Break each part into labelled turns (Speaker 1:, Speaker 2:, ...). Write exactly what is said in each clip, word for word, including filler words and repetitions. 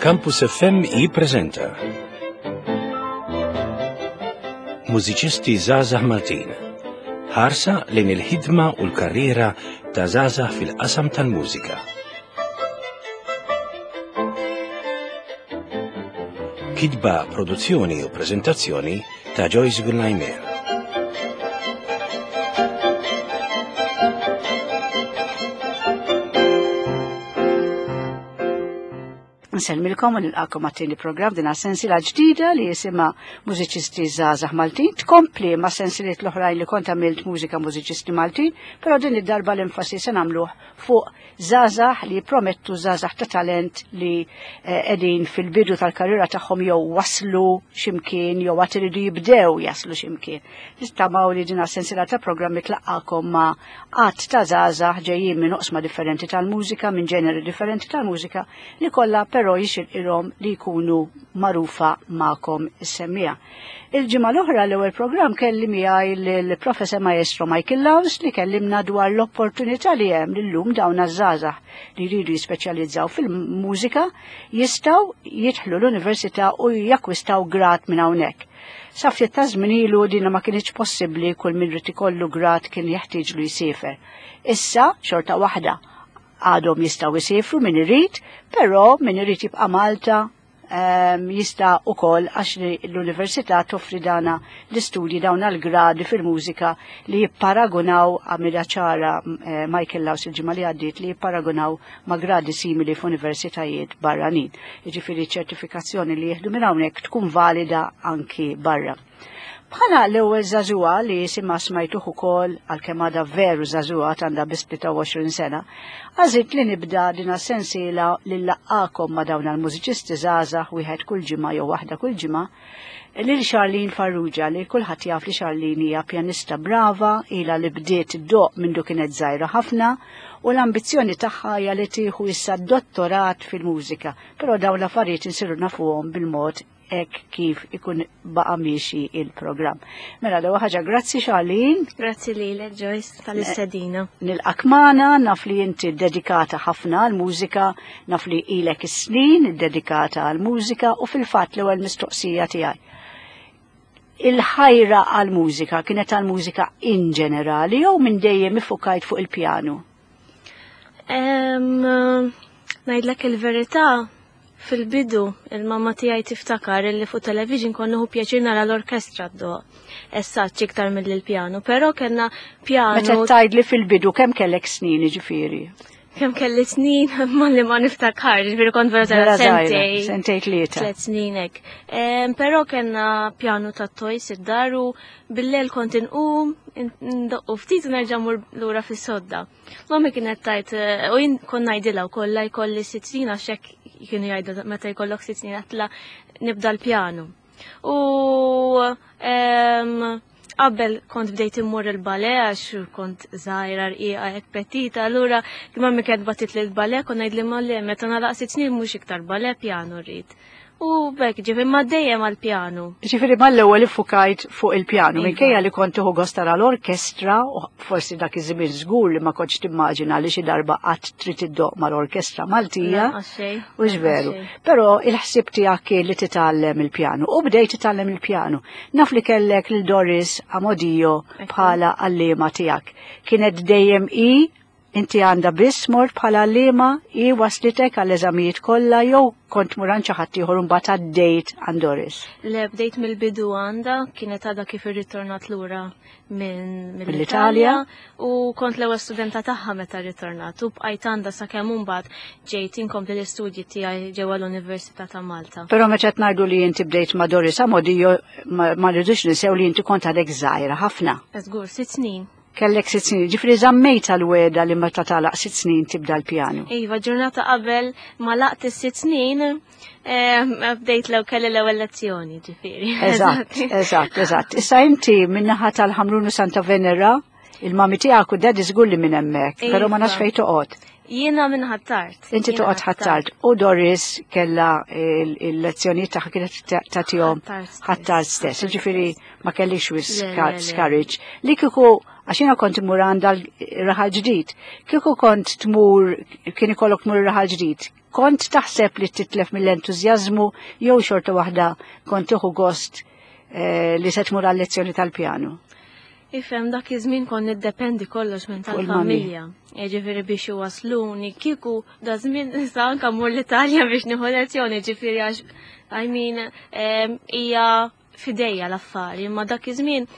Speaker 1: Campus F M jippreżenta Mużiċisti Żgħażagħ Maltin. Ħarsa lejn il-ħidma u l-karriera ta' żgħażagħ fil-qasam tal-mużika. Kitba, produzzjoni u preżentazzjoni ta' Joyce Gullaimer.
Speaker 2: Nsellmilkom u nilqakom għat-tieni programm din sensiela ġdida li jisimha Mużiċisti Żgħażagħ Maltin. Tkompli ma' sensiliet l-oħrajn li kont għamilt mużika mużiċisti Maltin, però din id-darba l-enfasi se nagħmluh fuq żgħażagħ li jippromettu żgħażagħ ta' talent li, eh, qegħdin fil-bidu tal-karriera tagħhom jew waslu x'imkien jew għad iridu jibdew jaslu x'imkien. Nistamaw li din sensiela ta' programmi tlaqqakom ma' għadd ta' żgħażagħ ġejjin minn oqsma differenti tal-mużika, minn ġeneri differenti tal-mużika, li kollha però jixirqilhom li jkunu magħrufa magħkom is-semmiegħa. Il-ġimgħa l-oħra l-ewwel programm kelli miegħi lill-Professor Maestro Michael Laus li kellimna dwar l-opportunità li hemm lillum dawn iż-żgħażagħ li jridu jispeċjalizzaw fil-mużika jistgħu jidħlu l-università u jakkwistaw grad minn hawnhekk. Sa ftit ta' żmien ilu dina ma kienx possibbli, kull min rid ikollu grad kien jeħtieġlu jsiefer. Issa xorta waħda għadhom jistgħu jsifru min irid, però min irid jibqa' Malta, ehm, jista' ukoll għax l-università toffri dana l-istudji dawn għall-gradi fil-mużika li jipparagunaw, għamilha ċara, eh, Michael Laus il-ġimgħa li għaddiet, li jipparagunaw ma' gradi simili f'universitajiet barranin. Jiġifieri ċertifikazzjoni li jieħdu minn hawnhekk tkun valida anki barra. Bħala l-ewwel żagħżugħa li jisimha smajtuh ukoll, għalkemm għadha veru żagħżugħa għandha biss tlieta u għoxrin sena, għażilt li nibda din sensiela li nlaqqakom ma' dawn il-mużiċisti żgħażagħ wieħed kull ġimgħa jew waħda kull ġimgħa, lil Charlene Farrugia, li kulħadd jaf li Charlene hija pjanista brava, ilha li bdiet iddoqq mindu kienet żgħira ħafna, u l-ambizzjoni tagħha hija li tieħu issa dottorat fil-mużika, però dawn l-affarijiet insiru nafuhom bil-mod hekk kif ikun baqa' miexi il-programm. Mela, l-ewwel ħaġa, grazzi Charlene.
Speaker 3: Grazzi lilek Joyce tal-istedina.
Speaker 2: Nilqak magħna, naf li inti dedikata ħafna għall-mużika, naf li ilek is-snin dedikata għall-mużika, u fil-fatt l-ewwel mistoqsija tiegħi. Il-ħajra għall-mużika kienet għall-mużika in ġenerali jew minn dejjem ifukajt fuq il-pjanu?
Speaker 3: Em, ngħidlek il-verità, fil-bidu il-mamma tiegħi tiftakar illi fuq television konna nieħu pjaċir nara l-orkestra ddoq. Essaċ iktar mill-pjanu, però kellna pjanu.
Speaker 2: Meta tgħidli fil-bidu kemm kellek snin jiġifieri?
Speaker 3: Kemm kelli snin, ma li ma niftakar, jiġifieri kont vera
Speaker 2: Vera
Speaker 3: żgħira,
Speaker 2: żgħira,
Speaker 3: sentej.
Speaker 2: Sentej tlieta.
Speaker 3: Tliet snin hekk. Em, però kellna pjanu ta' toys id-dar u bil-lejl kont inqum, ndoqqu ftit u nerġa' mmur lura fis-sodda. Mami kienet tajt, eh, u jien kont ngħidilha wkoll la jkolli sitt snin għax hekk kienu jgħidu meta jkollok sitt snin għatla nibda l-pjanu. U, em, qabel kont bdejt immur il-ballet għax kont żgħira rqiqa hekk petita, allura mami kienet bagħtit li l-ballet kont ngħid li ma le meta nagħlaq sitt snin mhux iktar ballet, pjanu rrid. U bekk ġifieri ma dejjem għall-pjanu.
Speaker 2: Ġifieri mal-ewwel iffukajt fuq il-pjanu,
Speaker 3: Iva.
Speaker 2: minkejja li kont tieħu gost tara l-orkestra, u forsi dak iż-żmien żgur li ma kontx timmaġina li xi darba qatt trid iddoqq mal-orkestra Maltija.
Speaker 3: Lanqas xejn,
Speaker 2: U veru.
Speaker 3: lanqas xejn.
Speaker 2: Però il-ħsieb tiegħek kien li titgħallem il-pjanu u bdejt titgħallem il-pjanu. Naf li kellek lil Doris Amodio
Speaker 3: Ekku.
Speaker 2: bħala għalliema tiegħek. Kienet dejjem i inti għandha biss mort bħala għalliema, i waslitek għall-eżamijiet kollha jew kont mur għand xi ħadd ieħor imbagħad għaddejt għand Doris?
Speaker 3: Le, bdejt mill-bidu għandha, kienet għadha kif irritornat lura minn
Speaker 2: Mill-Italja.
Speaker 3: mill-Italja u kont l-ewwel studenta tagħha meta rritornat u bqajt għandha sakemm imbagħad ġejt inkompli l-istudji tiegħi ġewwa l-Università ta' Malta.
Speaker 2: Però meta qed ngħidu li inti bdejt ma' Doris Amodio, ma, ma rridux ninsew li inti kont għadek żgħira ħafna.
Speaker 3: Żgur, sitt snin.
Speaker 2: Kellek sitt snin, ġifieri żammejt għal-weda li meta tagħlaq sitt snin tibda l-pjanu.
Speaker 3: Iva, ġurnata qabel ma laqt is-sitt snin, eh, bdejt lew kelli l-ewwel lezzjoni, ġifieri.
Speaker 2: Eżatt, eżatt, eżatt. Issa inti min-naħa tal-Ħamrun u Santa Venera, il-mami tiegħek u daddy żgur li minn hemmhekk, però ma nafx
Speaker 3: Iva.
Speaker 2: fejn toqgħod.
Speaker 3: Jiena minn Ħ'Attard.
Speaker 2: Inti toqgħod Ħ'Attard u Doris kella il-lezzjonijiet tagħha kienet tagħtihom Ħ'Attard stess. Ġifieri ma kellix wisq skariġġ. Li kieku għax jiena kont immur għandha Raħal Ġdid, kieku kont tmur kien ikollok tmur Raħal Ġdid, kont taħseb li titlef mill-entużjażmu jew xorta waħda kont tieħu gost eh, li se tmur għal-lezzjoni tal-pjanu?
Speaker 3: Ifhem, dak iż-żmien kont niddependi kollox minn tal-familja. Ġifieri biex iwasluni, kieku da żmien issa anke mmur l-Italja biex nieħu lezzjoni, ġifieri għax I mean hija f'idejja l-affari, imma dak iż-żmien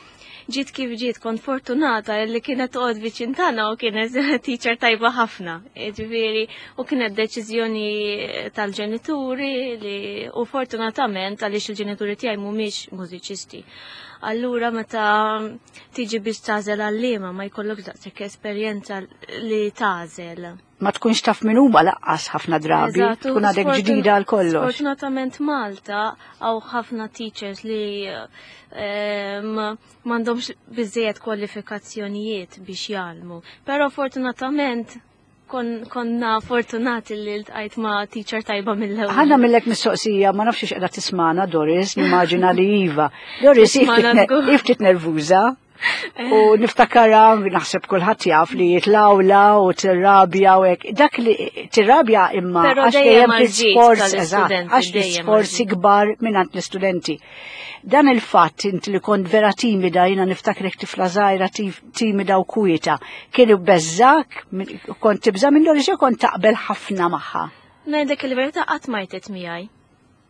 Speaker 3: ġiet kif ġiet, kont fortunata li kienet toqgħod viċin tagħna u kienet teacher tajba ħafna. Ġifieri u kienet deċiżjoni tal-ġenituri li u fortunatament għaliex il-ġenituri tiegħi mhumiex mużiċisti. Allura meta tiġi biex tagħżel għalliema ma jkollok daqshekk esperjenza li tagħżel.
Speaker 2: Ma tkunx taf min huma lanqas ħafna drabi, tkun għadek ġdida għal kollox.
Speaker 3: Sfortunatament Malta hawn ħafna teachers li m'għandhomx biżejjed kwalifikazzjonijiet biex jgħallmu. Però fortunatament konna fortunati li ltqajt ma' teacher tajba mill-ewwel.
Speaker 2: Ħa nagħmillek mistoqsija, ma nafx qiegħda tismagħna Doris, nimmaġina li iva. Doris ftit nervuża. U niftakara, naħseb kulħadd jaf li jitlawla u tirrabja u hekk. Dak li tirrabja imma għax dejjem l-isforz, eżatt, għax l-isforzi kbar mingħand l-istudenti. Dan il-fatt inti li kont vera timida, jiena niftakrek tifla żgħira timida u kwieta, kien beżżak, kont tibża minn Doris jew kont taqbel ħafna magħha?
Speaker 3: Ngħidlek il-verità, qatt ma għajtet miegħi.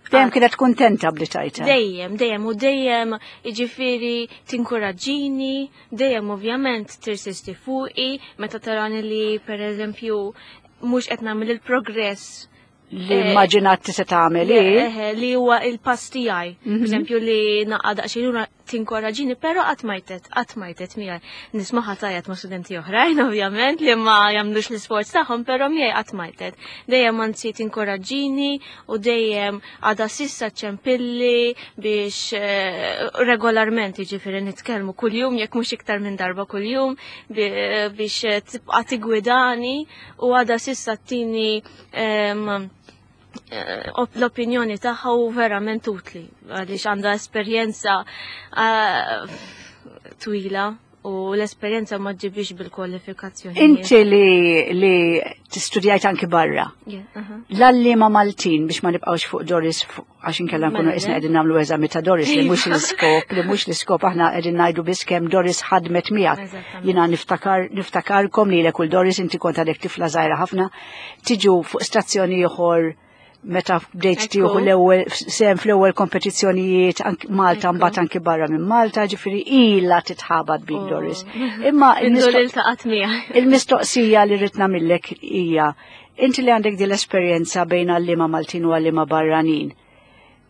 Speaker 2: Dejjem kienet kuntenta bli tajta.
Speaker 3: Dejjem, dejjem, u dejjem jiġifieri tinkuraġġini, dejjem ovvjament tirsisti fuqi, meta tarani li per eżempju mhux qed nagħmel il-progress
Speaker 2: li immaġinat se tagħmel
Speaker 3: li huwa il-pass tiegħi. Mhm. Per eżempju li naqa' daqsxejn lura tinkoraġġini, però qatt ma għajtet, qatt ma għajtet miegħi. Nismaha tgħajjat ma' studenti oħrajn ovvjament li ma jagħmlux l-isforz tagħhom, però miegħi qatt ma għajtet. Dejjem anzi tinkoraġġini u dejjem għadha s'issa ċempilli biex eh, regolarment, jiġifieri nitkellmu kuljum jekk mhux iktar minn darba kuljum biex tibqa' tigwidani u għadha s'issa ttini eh, l-opinjoni tagħha u verament utli għaliex għandha esperjenza eh, twila u l-esperjenza ma ġibix bil-kwalifikazzjoni.
Speaker 2: Inti li li tistudjajt anki barra.
Speaker 3: Yeah, uh-huh.
Speaker 2: L-għalliema Maltin, biex ma nibqawx fuq Doris, għax inkella nkunu
Speaker 3: Mela,
Speaker 2: isna qegħdin nagħmlu eżami ta' Doris li mhux l-iskop, li mhux l-iskop, aħna qegħdin ngħidu biss kemm Doris ħadmet miegħek.
Speaker 3: Eżattament.
Speaker 2: Jiena niftakar niftakarkom li lil Doris, inti kont għadek tifla żgħira ħafna, tiġu fuq stazzjoni ieħor meta bdejt
Speaker 3: Ekku.
Speaker 2: tieħu l-ewwel sem fl-ewwel kompetizzjonijiet anki Malta,
Speaker 3: Ekku.
Speaker 2: mbagħad anki barra minn Malta, ġifieri ilha titħabat bik
Speaker 3: Oh.
Speaker 2: Doris. Imma
Speaker 3: Indu
Speaker 2: il-mistoq-
Speaker 3: li ltaqat miegħi.
Speaker 2: il-mistoqsija li rrid nagħmillek hija, inti li għandek din l-esperjenza bejn għalliema Maltin u għalliema barranin.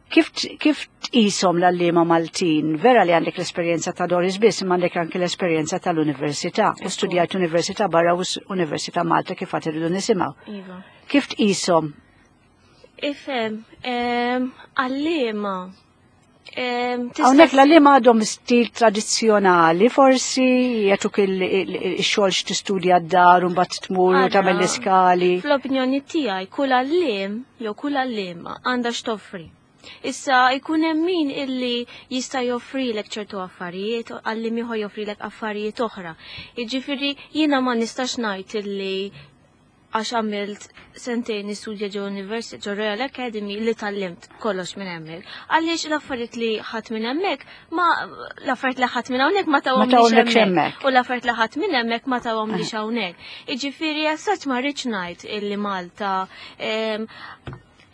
Speaker 2: Kif kif tqishom l-għalliema Maltin? Vera li għandek l-esperjenza ta' Doris biss, imma għandek anki l-esperjenza tal-università. U studjajt università barra u s- Università Malta kif għad irridu nisimgħu.
Speaker 3: Iva.
Speaker 2: Kif tqishom?
Speaker 3: Ifhem, em, għalliema. em, tista'
Speaker 2: Hawnhekk l-għalliema għadhom stil tradizzjonali, forsi jagħtuk il-xogħol x'tistudja d-dar u mbagħad tmur u
Speaker 3: Ara,
Speaker 2: tagħmel l-iskali.
Speaker 3: Fl-opinjoni tiegħi kull għalliem jew kull għalliema għandha x'toffri. Issa jkun hemm min illi jista' joffrilek ċertu affarijiet, għalliem ieħor joffrilek affarijiet oħra. Jiġifieri jiena ma nistax ngħid illi għax għamilt sentejn nistudja ġo University, ġo Royal Academy, li tgħallimt kollox minn hemmhekk. Għaliex l-affarijiet li ħadt minn hemmhekk ma l-affarijiet li ħadt minn hawnhekk ma tawhom
Speaker 2: Ma tawhomlekx hemmhekk.
Speaker 3: U l-affarijiet li ħadt minn hemmhekk ma tawhomlix hawnhekk. Jiġifieri as such ma rridx ngħid illi Malta em,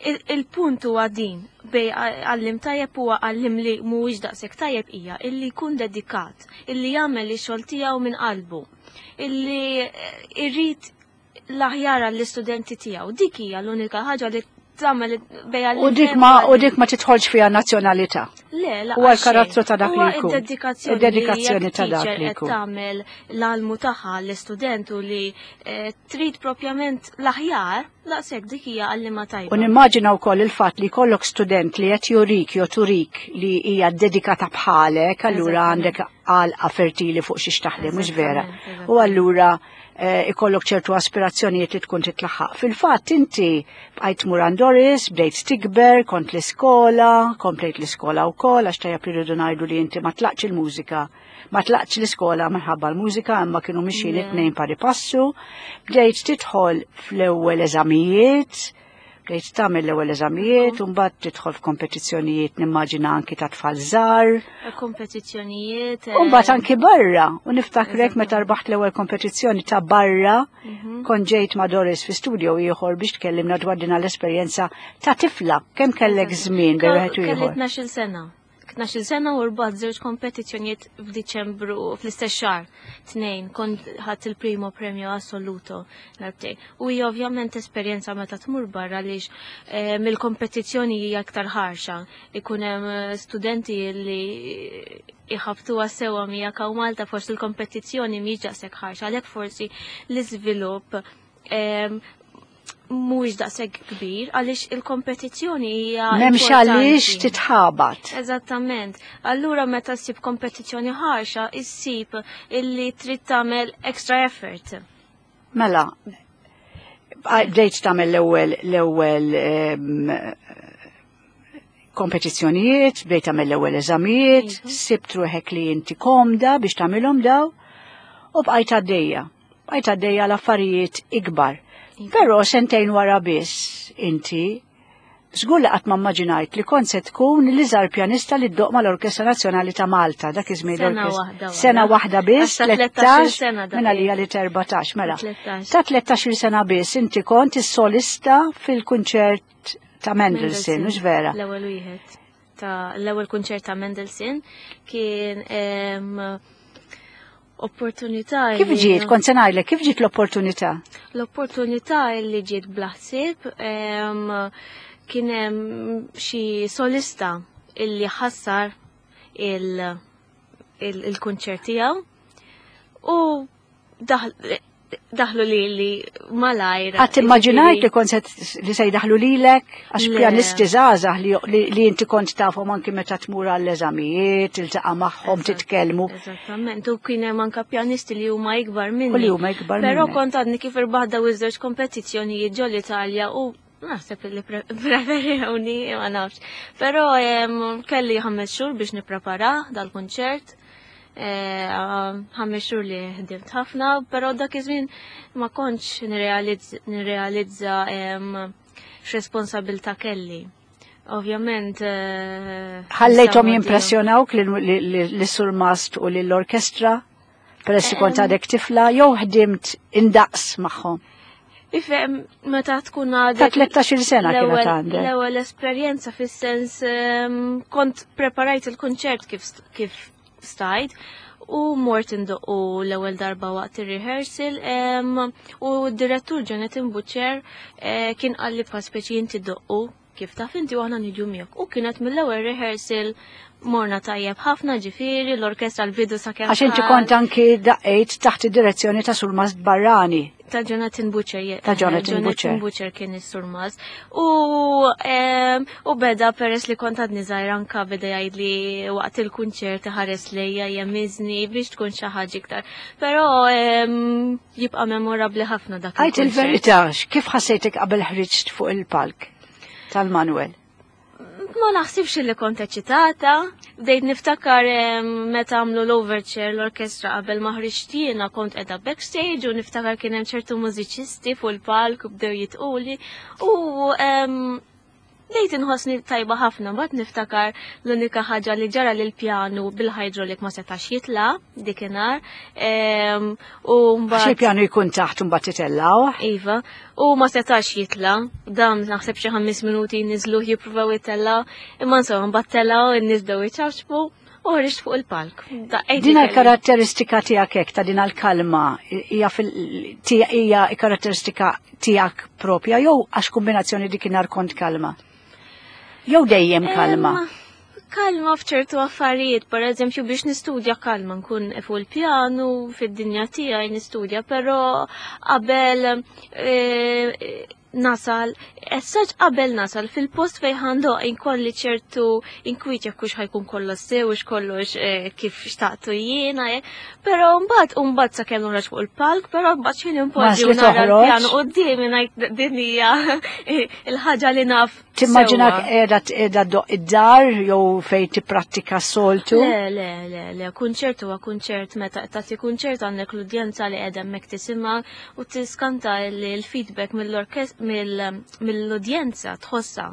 Speaker 3: il- il-punt huwa din bejn għalliem tajjeb huwa għalliem li mhuwiex daqshekk tajjeb hija illi jkun dedikat, illi jagħmel ix-xogħol tiegħu minn qalbu, illi eh, irrid l-aħjar għall-istudenti tiegħu. Dik hija l-unika ħaġa li tagħmel bejn għalliem
Speaker 2: U dik ma u dik ma tidħolx fiha nazzjonalità.
Speaker 3: Le, la
Speaker 2: Huwa l-karattru ta' dak li
Speaker 3: Huwa
Speaker 2: jkun.
Speaker 3: id-dedikazzjoni.
Speaker 2: Id-dedikazzjoni
Speaker 3: li
Speaker 2: ta' dak
Speaker 3: jekk
Speaker 2: li
Speaker 3: teacher qed
Speaker 2: jkun.
Speaker 3: tagħmel l-almu tagħha l-istudent u li eh, trid propjament l-aħjar, daqshekk dik hija għalliema tajba.
Speaker 2: U nimmaġina wkoll il-fatt li jkollok student li qed jurik jew turik li hija dedikata bħalek, allura
Speaker 3: Eżattament.
Speaker 2: għandek għalqa fertili fuq xiex taħdem, mhux vera.
Speaker 3: Eżattament,
Speaker 2: U allura eh, ikollok ċertu aspirazzjonijiet li tkun titlaħħaq. Fil-fatt inti bqajt tmur għand Doris, bdejt tikber, kont l-iskola, komplejt l-iskola wkoll għax tajjeb irridu ngħidu li inti ma tlaqx il-mużika. Ma tlaqx l-iskola minħabba l-mużika, imma kienu mixjin
Speaker 3: Le.
Speaker 2: it-tnejn pari passu. Bdejt tidħol fl-ewwel eżamijiet, bdejt tagħmel l-ewwel eżamijiet, u mbagħad tidħol f'kompetizzjonijiet nimmaġina anki ta' tfal żgħar.
Speaker 3: Kompetizzjonijiet.
Speaker 2: U mbagħad anki barra, u niftakrek meta rbaħt l-ewwel kompetizzjoni ta' barra,
Speaker 3: Mhm.
Speaker 2: kont ġejt ma' Doris fi studio ieħor biex tkellimna dwar din l-esperjenza ta' tifla, kemm kellek żmien bejn wieħed u
Speaker 3: Kelli
Speaker 2: ieħor.
Speaker 3: tnax-il sena. tnax-il sena u rbaħt żewġ kompetizzjonijiet f'Diċembru fl-istess xahar. Tnejn, kont ħadt il-primo premio assoluto darbtejn. U hija ovvjament esperjenza meta tmur barra għaliex eh, mill-kompetizzjoni hija aktar ħarxa. Ikun hemm eh, studenti li iħabtuha sewwa miegħek hawn Malta forsi l-kompetizzjoni mhix daqshekk ħarxa, għalhekk forsi l-iżvilupp em, mhuwiex daqshekk kbir għaliex il-kompetizzjoni hija
Speaker 2: M'hemmx għaliex
Speaker 3: importanti.
Speaker 2: titħabat.
Speaker 3: Eżattament. Allura meta ssib kompetizzjoni ħarxa, issib illi trid tagħmel extra effort.
Speaker 2: Mela, bdejt tagħmel l-ewwel l-ewwel em, kompetizzjonijiet, bdejt tagħmel l-ewwel eżamijiet,
Speaker 3: Mhm.
Speaker 2: sibt ruħek li inti komda biex tagħmilhom daw, u bqajt għaddejja. Bqajt għaddejja l-affarijiet ikbar. Però sentejn wara biss inti żgur li qatt ma immaġinajt li kont se tkun l-iżgħar pjanista li ddoqq mal-Orkestra Nazzjonali ta' Malta, dak iż-żmien
Speaker 3: Sena
Speaker 2: l-orkestra.
Speaker 3: waħda wara.
Speaker 2: Sena waħda biss,
Speaker 3: Għax ta' tlettax-il
Speaker 2: tlettax,
Speaker 3: sena dak
Speaker 2: minn għalija li erbatax, mela.
Speaker 3: Tlettax.
Speaker 2: Ta' tlettax-il sena biss inti kont is-solista fil-kunċert ta' Mendelssohn, mhux vera?
Speaker 3: L-ewwel wieħed ta' l-ewwel kunċert ta' Mendelssohn kien em, opportunità
Speaker 2: Kif
Speaker 3: li-
Speaker 2: ġiet, kont se ngħidlek, kif ġiet l-opportunità?
Speaker 3: L-opportunità li ġiet bla ħsieb em, kien hemm xi solista illi ħassar il- il- il-kunċert tiegħu u daħ- daħlu li li malajr.
Speaker 2: Qatt immaġinajt li kont se li se jdaħlu lilek għax
Speaker 3: Le.
Speaker 2: pjanisti żgħażagħ li, li, li inti kont tafhom anki meta tmur għall-eżamijiet, tiltaqa' magħhom,
Speaker 3: Eżatt.
Speaker 2: titkellmu.
Speaker 3: Eżattament, u kien hemm anke pjanisti li huma ikbar minni.
Speaker 2: U li huma ikbar
Speaker 3: Però
Speaker 2: minnek.
Speaker 3: kont għadni kif irbaħ daw iż-żewġ kompetizzjonijiet ġol Italja u naħseb li pre- preferewni, ma nafx. Però em, kelli ħames xhur biex nipprepara dal-kunċert. Eh, Ħames xhur li ħdimt ħafna, però dak iż-żmien ma kontx nirrealizz- nirrealizza em, x'responsabilità kelli. Ovvjament. eh,
Speaker 2: Ħallejthom
Speaker 3: nista'
Speaker 2: jimpressjonawk lis-surmast u lill-orkestra peress li kont għadek tifla jew ħdimt indaqs magħhom.
Speaker 3: Ifhem, meta tkun għadek.
Speaker 2: Ta' tlettax-il sena kienet
Speaker 3: l-ewwel-
Speaker 2: għandek.
Speaker 3: L-ewwel esperjenza fis-sens em, kont preparajt il-kunċert kif kif stajt u mort indoqqu l-ewwel darba waqt ir-rehearsal em, u d-direttur Jonathan Butcher eh, kien qalli bħal speċi inti doqqu kif taf inti u aħna niġu miegħek. U kienet mill-ewwel rehearsal morna tajjeb ħafna ġifieri l-orkestra l-bidu sakemm
Speaker 2: Għax inti
Speaker 3: ħadd-
Speaker 2: kont anki daqqejt taħt id-direzzjoni ta' Surmast Barrani.
Speaker 3: Ta' Jonathan Butcher, je-
Speaker 2: Ta' Jonathan
Speaker 3: Jonathan
Speaker 2: Butcher.
Speaker 3: Butcher kien is-surmas. U em, u beda peress li kont għadni żgħira anka beda jgħidli waqt il-kunċert ħares lejja jemiżni biex tkun xi ħaġa iktar. Però em, jibqa' memorabbli ħafna dak
Speaker 2: Għajt
Speaker 3: il-kunċert.
Speaker 2: il-verità, kif ħassejtek qabel ħriġt fuq il-palk tal-Manuel?
Speaker 3: Ma naħsibx li kont eċitata. Bdejt niftakar em, meta għamlu l-overture l-orkestra qabel ma ħriġt jiena kont qiegħda backstage u niftakar kien hemm ċertu mużiċisti fuq il-palk u bdew jitquli u em, bdejt inħossni tajba ħafna, mbagħad niftakar l-unika ħaġa li ġara lil pjanu bil-hydraulic ma setax jitla dikinhar. Em, U
Speaker 2: Għax
Speaker 3: mbagħad
Speaker 2: il-pjanu jkun taħt u mbagħad titellaw.
Speaker 3: Iva, u ma setax jitla, dam naħseb xi ħames minuti niżlu jippruvaw jitella, imma insomma mbagħad telaw in-nies bdew iċapċpu u ħriġt fuq il-palk. Daqqejt
Speaker 2: Din
Speaker 3: li kelli.
Speaker 2: l-karatteristika tiegħek hekk ta' din l-kalma hija fil- tija- hija karatteristika tiegħek propja jew għax kombinazzjoni dikinhar kont kalma? Jew dejjem kalma?
Speaker 3: Em, Kalma f'ċertu affarijiet, per eżempju biex nistudja kalma nkun fuq il-pjanu, fid-dinja tiegħi nistudja, però qabel eh, nasal Essaġ qabel nasal fil-post fejn ħandoq inkolli ċertu inkwiet jekk hux ħajkun kollox sew u kollox eh, kif xtaqtu jiena, eh. Però mbagħad mbagħad sakemm noħroġ fuq il-palk, però mbagħad xejn impoġġi u nara l-pjanu quddiemi ngħid din hija il-ħaġa li naf.
Speaker 2: Timmaġinak qiegħda qiegħda ddoq id-dar jew fejn tipprattika soltu?
Speaker 3: Le, le, le, le, kunċert huwa kunċert meta tagħti kunċert għandek l-udjenza li qiegħda hemmhekk tisimha u tiskanta l-feedback mill-udjenza tħossha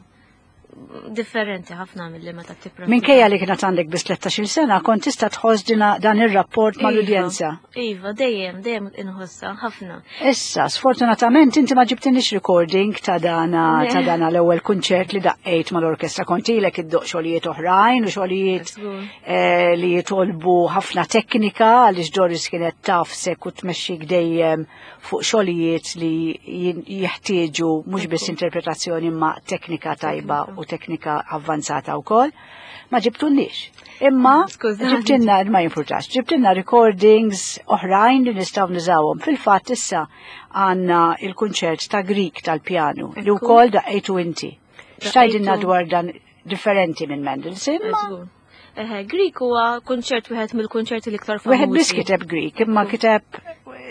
Speaker 3: differenti ħafna mill-li meta tippratika.
Speaker 2: Minkejja li kienet għandek biss tlettax-il sena, kont tista' tħoss dan ir-rapport mal-udjenza.
Speaker 3: Iva, dejjem, dejjem inħossha ħafna.
Speaker 2: Issa, sfortunatament inti ma ġibtinix recording ta' dana ta' dana l-ewwel kunċert li daqqejt mal-orkestra. Kont ilek iddoq xogħlijiet oħrajn u xogħlijiet li jitolbu ħafna teknika għaliex Doris kienet tafsek u tmexxik dejjem fuq xogħlijiet li jeħtieġu mhux biss interpretazzjoni imma teknika tajba u teknika avvanzata wkoll. Ma ġibtunniex. Imma ġibtinna, ma jimpurtax, ġibtinna recordings oħrajn li nistgħu nużawhom. Fil-fatt issa għandna il-kunċert ta' Grieg tal-pjanu li wkoll daqqejtu inti. X'tgħidilna dwar dan differenti minn Mendelssohn?
Speaker 3: Eħe, Grieg huwa kunċert wieħed mill-kunċerti l-iktar famużi.
Speaker 2: Wieħed biss kiteb Grieg, imma kiteb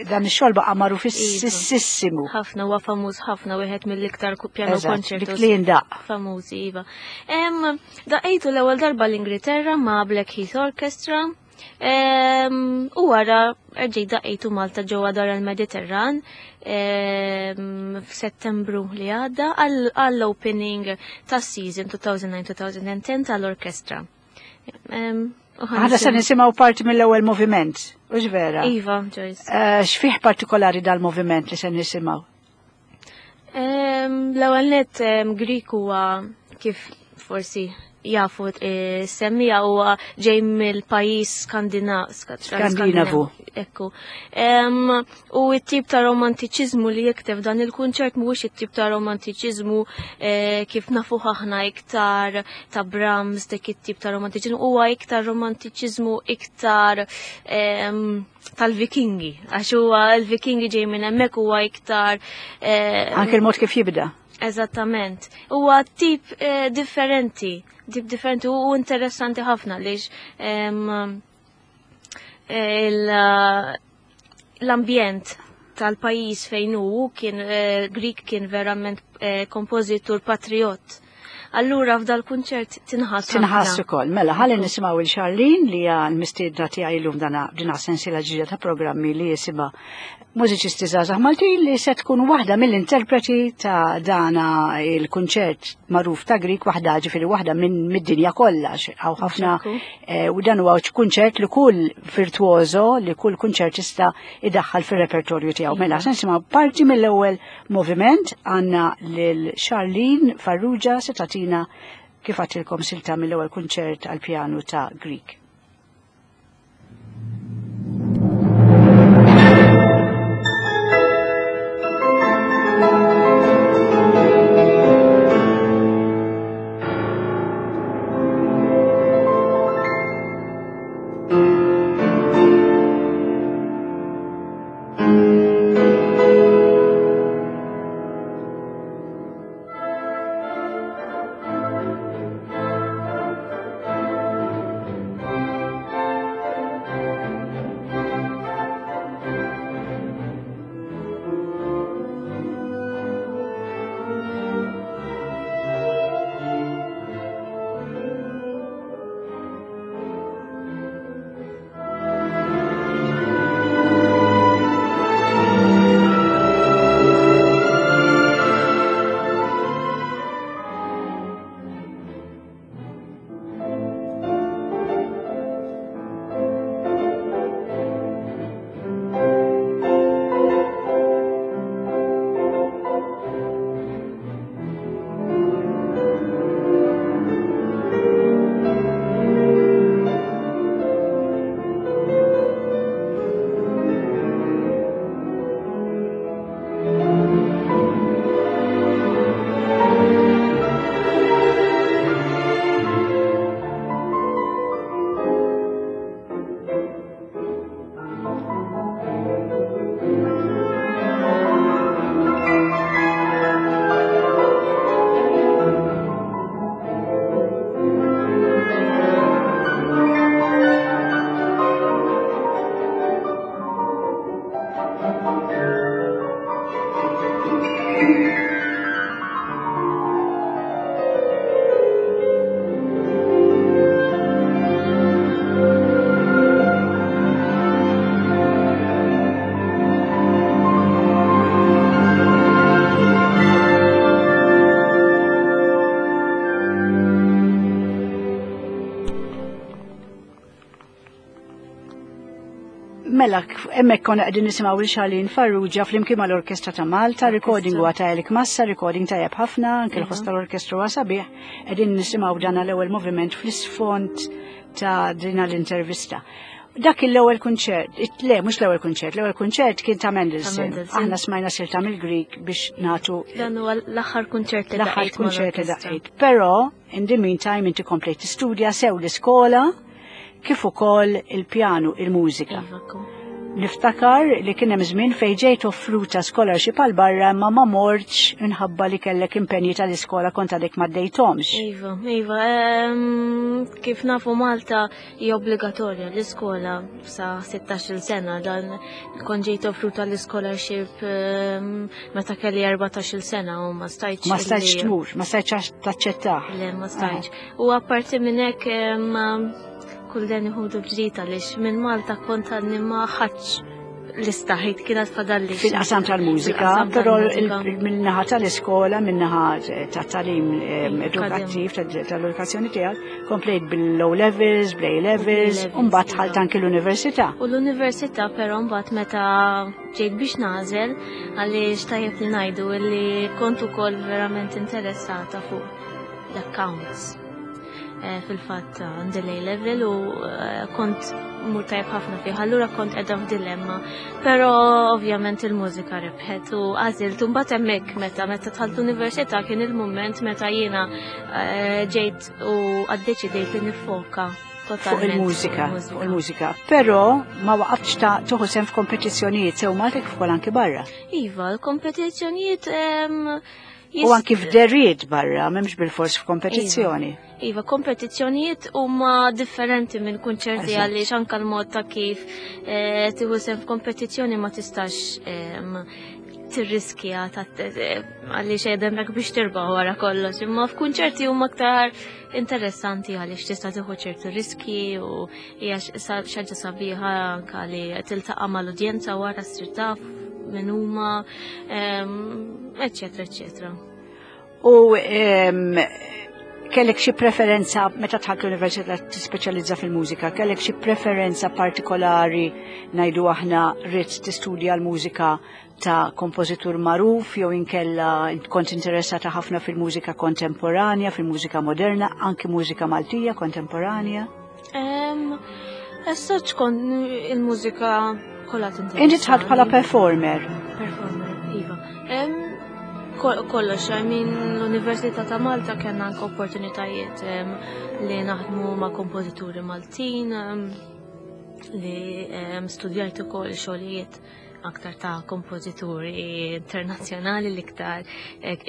Speaker 2: dan ix-xogħol baqa' magħruf ississimu.
Speaker 3: Ħafna huwa famuż ħafna, wieħed mill-iktar piano concertos.
Speaker 2: Dik li jindaq.
Speaker 3: Famużi, iva. Daqqejtu l-ewwel darba l-Ingilterra ma' Blackheath Orchestra. U wara rġejt daqqejtu Malta ġewwa Dar il-Mediterran f'Settembru li għadda għall-opening tas-season two thousand nine two thousand ten tal-orkestra.
Speaker 2: Għada se nisimgħu parti mill-ewwel moviment, hux vera?
Speaker 3: Iva, Joyce.
Speaker 2: X'fih partikolari dal-moviment li se nisimgħu?
Speaker 3: L-ewwel nett Grieg huwa kif forsi jafu semmija huwa ġej mill-pajjiż
Speaker 2: Skandinavu.
Speaker 3: Ekku. U t-tip ta' romantiċiżmu li jikteb dan il-kunċert mhuwiex it-tip ta' romantiċiżmu kif nafuh aħna iktar ta' Brahms, dik it-tip ta' romantiċiżmu, huwa iktar romantiċiżmu iktar tal-Vikingi, għax huwa l-Vikingi ġej minn hemmhekk, huwa iktar
Speaker 2: anke l-mod kif jibda.
Speaker 3: Eżattament. Huwa tip differenti, tip differenti u interessanti ħafna għaliex l-ambjent tal-pajjiż fejn hu kien Grieg kien verament kompożitur patriot. Allura f'dal kunċert tinħass.
Speaker 2: Tinħass ukoll. Mela ħalli nisimgħu il Charlene li hija l-mistiedna tiegħi llum dana din sensiela ġdida ta' programmi li jisimha Mużiċisti Żgħażagħ Maltin, li se tkun waħda mill-interpreti ta' dana il-kunċert magħruf ta' Grieg, waħda ġifieri waħda minn mid-dinja kollha, hawn ħafna, u dan huwa kunċert li kull virtuoso, li kull kunċertista idaħħal fir-repertorju tiegħu. Mela se nisimgħu parti mill-ewwel moviment, għandna lil Charlene Farrugia se tagħtina kif għadtilkom silta mill-ewwel kunċert għall-pjanu ta' Grieg.
Speaker 4: Thank you.
Speaker 2: Mela, hemmhekk konna qegħdin nisimgħu lil Charlene Farrugia flimkien mal-Orkestra ta' Malta, recording huwa ta' Elik Massa, recording tajjeb ħafna, anke l-ħoss tal-orkestra huwa sabiħ, qegħdin nisimgħu dan l-ewwel moviment fl-isfond ta' din l-intervista. Dak l-ewwel kunċert, le, mhux l-ewwel kunċert, l-ewwel kunċert kien ta' Mendelssohn.
Speaker 3: Ta' Mendelssohn.
Speaker 2: Aħna smajna silta mill-Grieg biex nagħtu
Speaker 3: Dan huwa l-aħħar kunċert li
Speaker 2: l-aħħar
Speaker 3: daqqejt
Speaker 2: kunċert li
Speaker 3: mal-orkestra.
Speaker 2: daqqejt. Però, in the meantime, inti komplejt tistudja sew l-iskola kif ukoll il-pjanu, il-mużika.
Speaker 3: Iva, kom.
Speaker 2: Niftakar li kien hemm żmien fejn ġejt offruta scholarship għal barra, imma ma mortx minħabba li kellek impenji tal-iskola, kont għadek ma ddejthomx.
Speaker 3: Iva, iva, em, kif nafu, Malta hija obbligatorja l-iskola sa sittax-il sena. Dan kont ġejt offruta l-scholarship em, meta kelli erbatax-il sena u ma stajtx.
Speaker 2: Ma stajtx
Speaker 3: illi-
Speaker 2: tmur, ma stajtx taċċettah.
Speaker 3: Le, ma stajtx. U apparti minn hekk em, kull den iħudu bġdita għaliex minn Malta kont għadni ma ħadx l-istaħit kienet fadalli.
Speaker 2: Fil-qasam tal-mużika,
Speaker 3: Fil-qasam
Speaker 2: però
Speaker 3: tal-mużika.
Speaker 2: il- min-naħa tal-iskola, min-naħa tat-tagħlim em,
Speaker 3: Iva,
Speaker 2: edukattiv, tal-edukazzjoni tiegħek, komplejt bil-O levels, bl-A levels,
Speaker 3: levels,
Speaker 2: u mbagħad
Speaker 3: iva.
Speaker 2: dħalt anke l-università.
Speaker 3: U l-università, però mbagħad meta ġejt biex nagħżel, għaliex tajjeb li ngħidu li kont ukoll verament interessata fuq l-accounts. Eh, Fil-fatt għandi l-A level u eh, kont mur tajjeb ħafna fih, allura kont qiegħda f'dilemma. Però ovvjament il-mużika rebħet u għażilt. U mbagħad hemmhekk meta meta dħalt l-università kien il-mument meta jiena eh, ġejt u għaddeċidejt li nifoka
Speaker 2: fuq
Speaker 3: totalment
Speaker 2: il-mużika, fuq il-mużika. Però ma waqaftx ta' tieħu sehem f'kompetizzjonijiet sew Malta kif ukoll anke barra.
Speaker 3: Iva, l-kompetizzjonijiet em,
Speaker 2: U anki f'deriet barra, m'hemmx bil-fors f'kompetizzjoni.
Speaker 3: Iva, kompetizzjonijiet huma differenti minn kunċerti
Speaker 2: Eżatt.
Speaker 3: għaliex anka l-mod ta' kif eh, tieħu sehem f'kompetizzjoni ma tistax em, tirriskja ta' eh, għaliex hemmhekk biex tirbaħ wara kollox. Imma f'kunċerti huma aktar interessanti għaliex tista' tieħu ċertu riski u hija x- xi ħaġa sabiħa anka li tiltaqa' mal-udjenza wara, ssir taf min huma, em, eċċetera, eċċetera.
Speaker 2: U em, kellek xi preferenza meta dħalt l-università tispeċjalizza fil-mużika, kellek xi preferenza partikolari, ngħidu aħna ridt tistudja l-mużika ta' kompożitur magħruf jew inkella kont interessata ħafna fil-mużika kontemporanja, fil-mużika moderna, anki mużika Maltija kontemporanja?
Speaker 3: Um, Issa tkun il-mużika kollha tinteressa.
Speaker 2: Inti dħalt bħala performer.
Speaker 3: Performer, iva. Em, kol- Kollox, I mean, l-Università ta' Malta kellna anke opportunitajiet em, li naħdmu ma' kompożituri Maltin, em, li em, studjajt ukoll xogħlijiet aktar ta' kompożituri internazzjonali l-iktar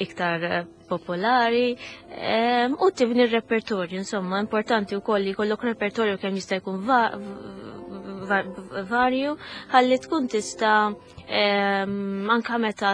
Speaker 3: iktar eh, popolari em, u tibni r-repertorju, insomma, importanti wkoll li jkollok repertorju kemm jista' jkun va- va- varju ħalli tkun tista' em, anka meta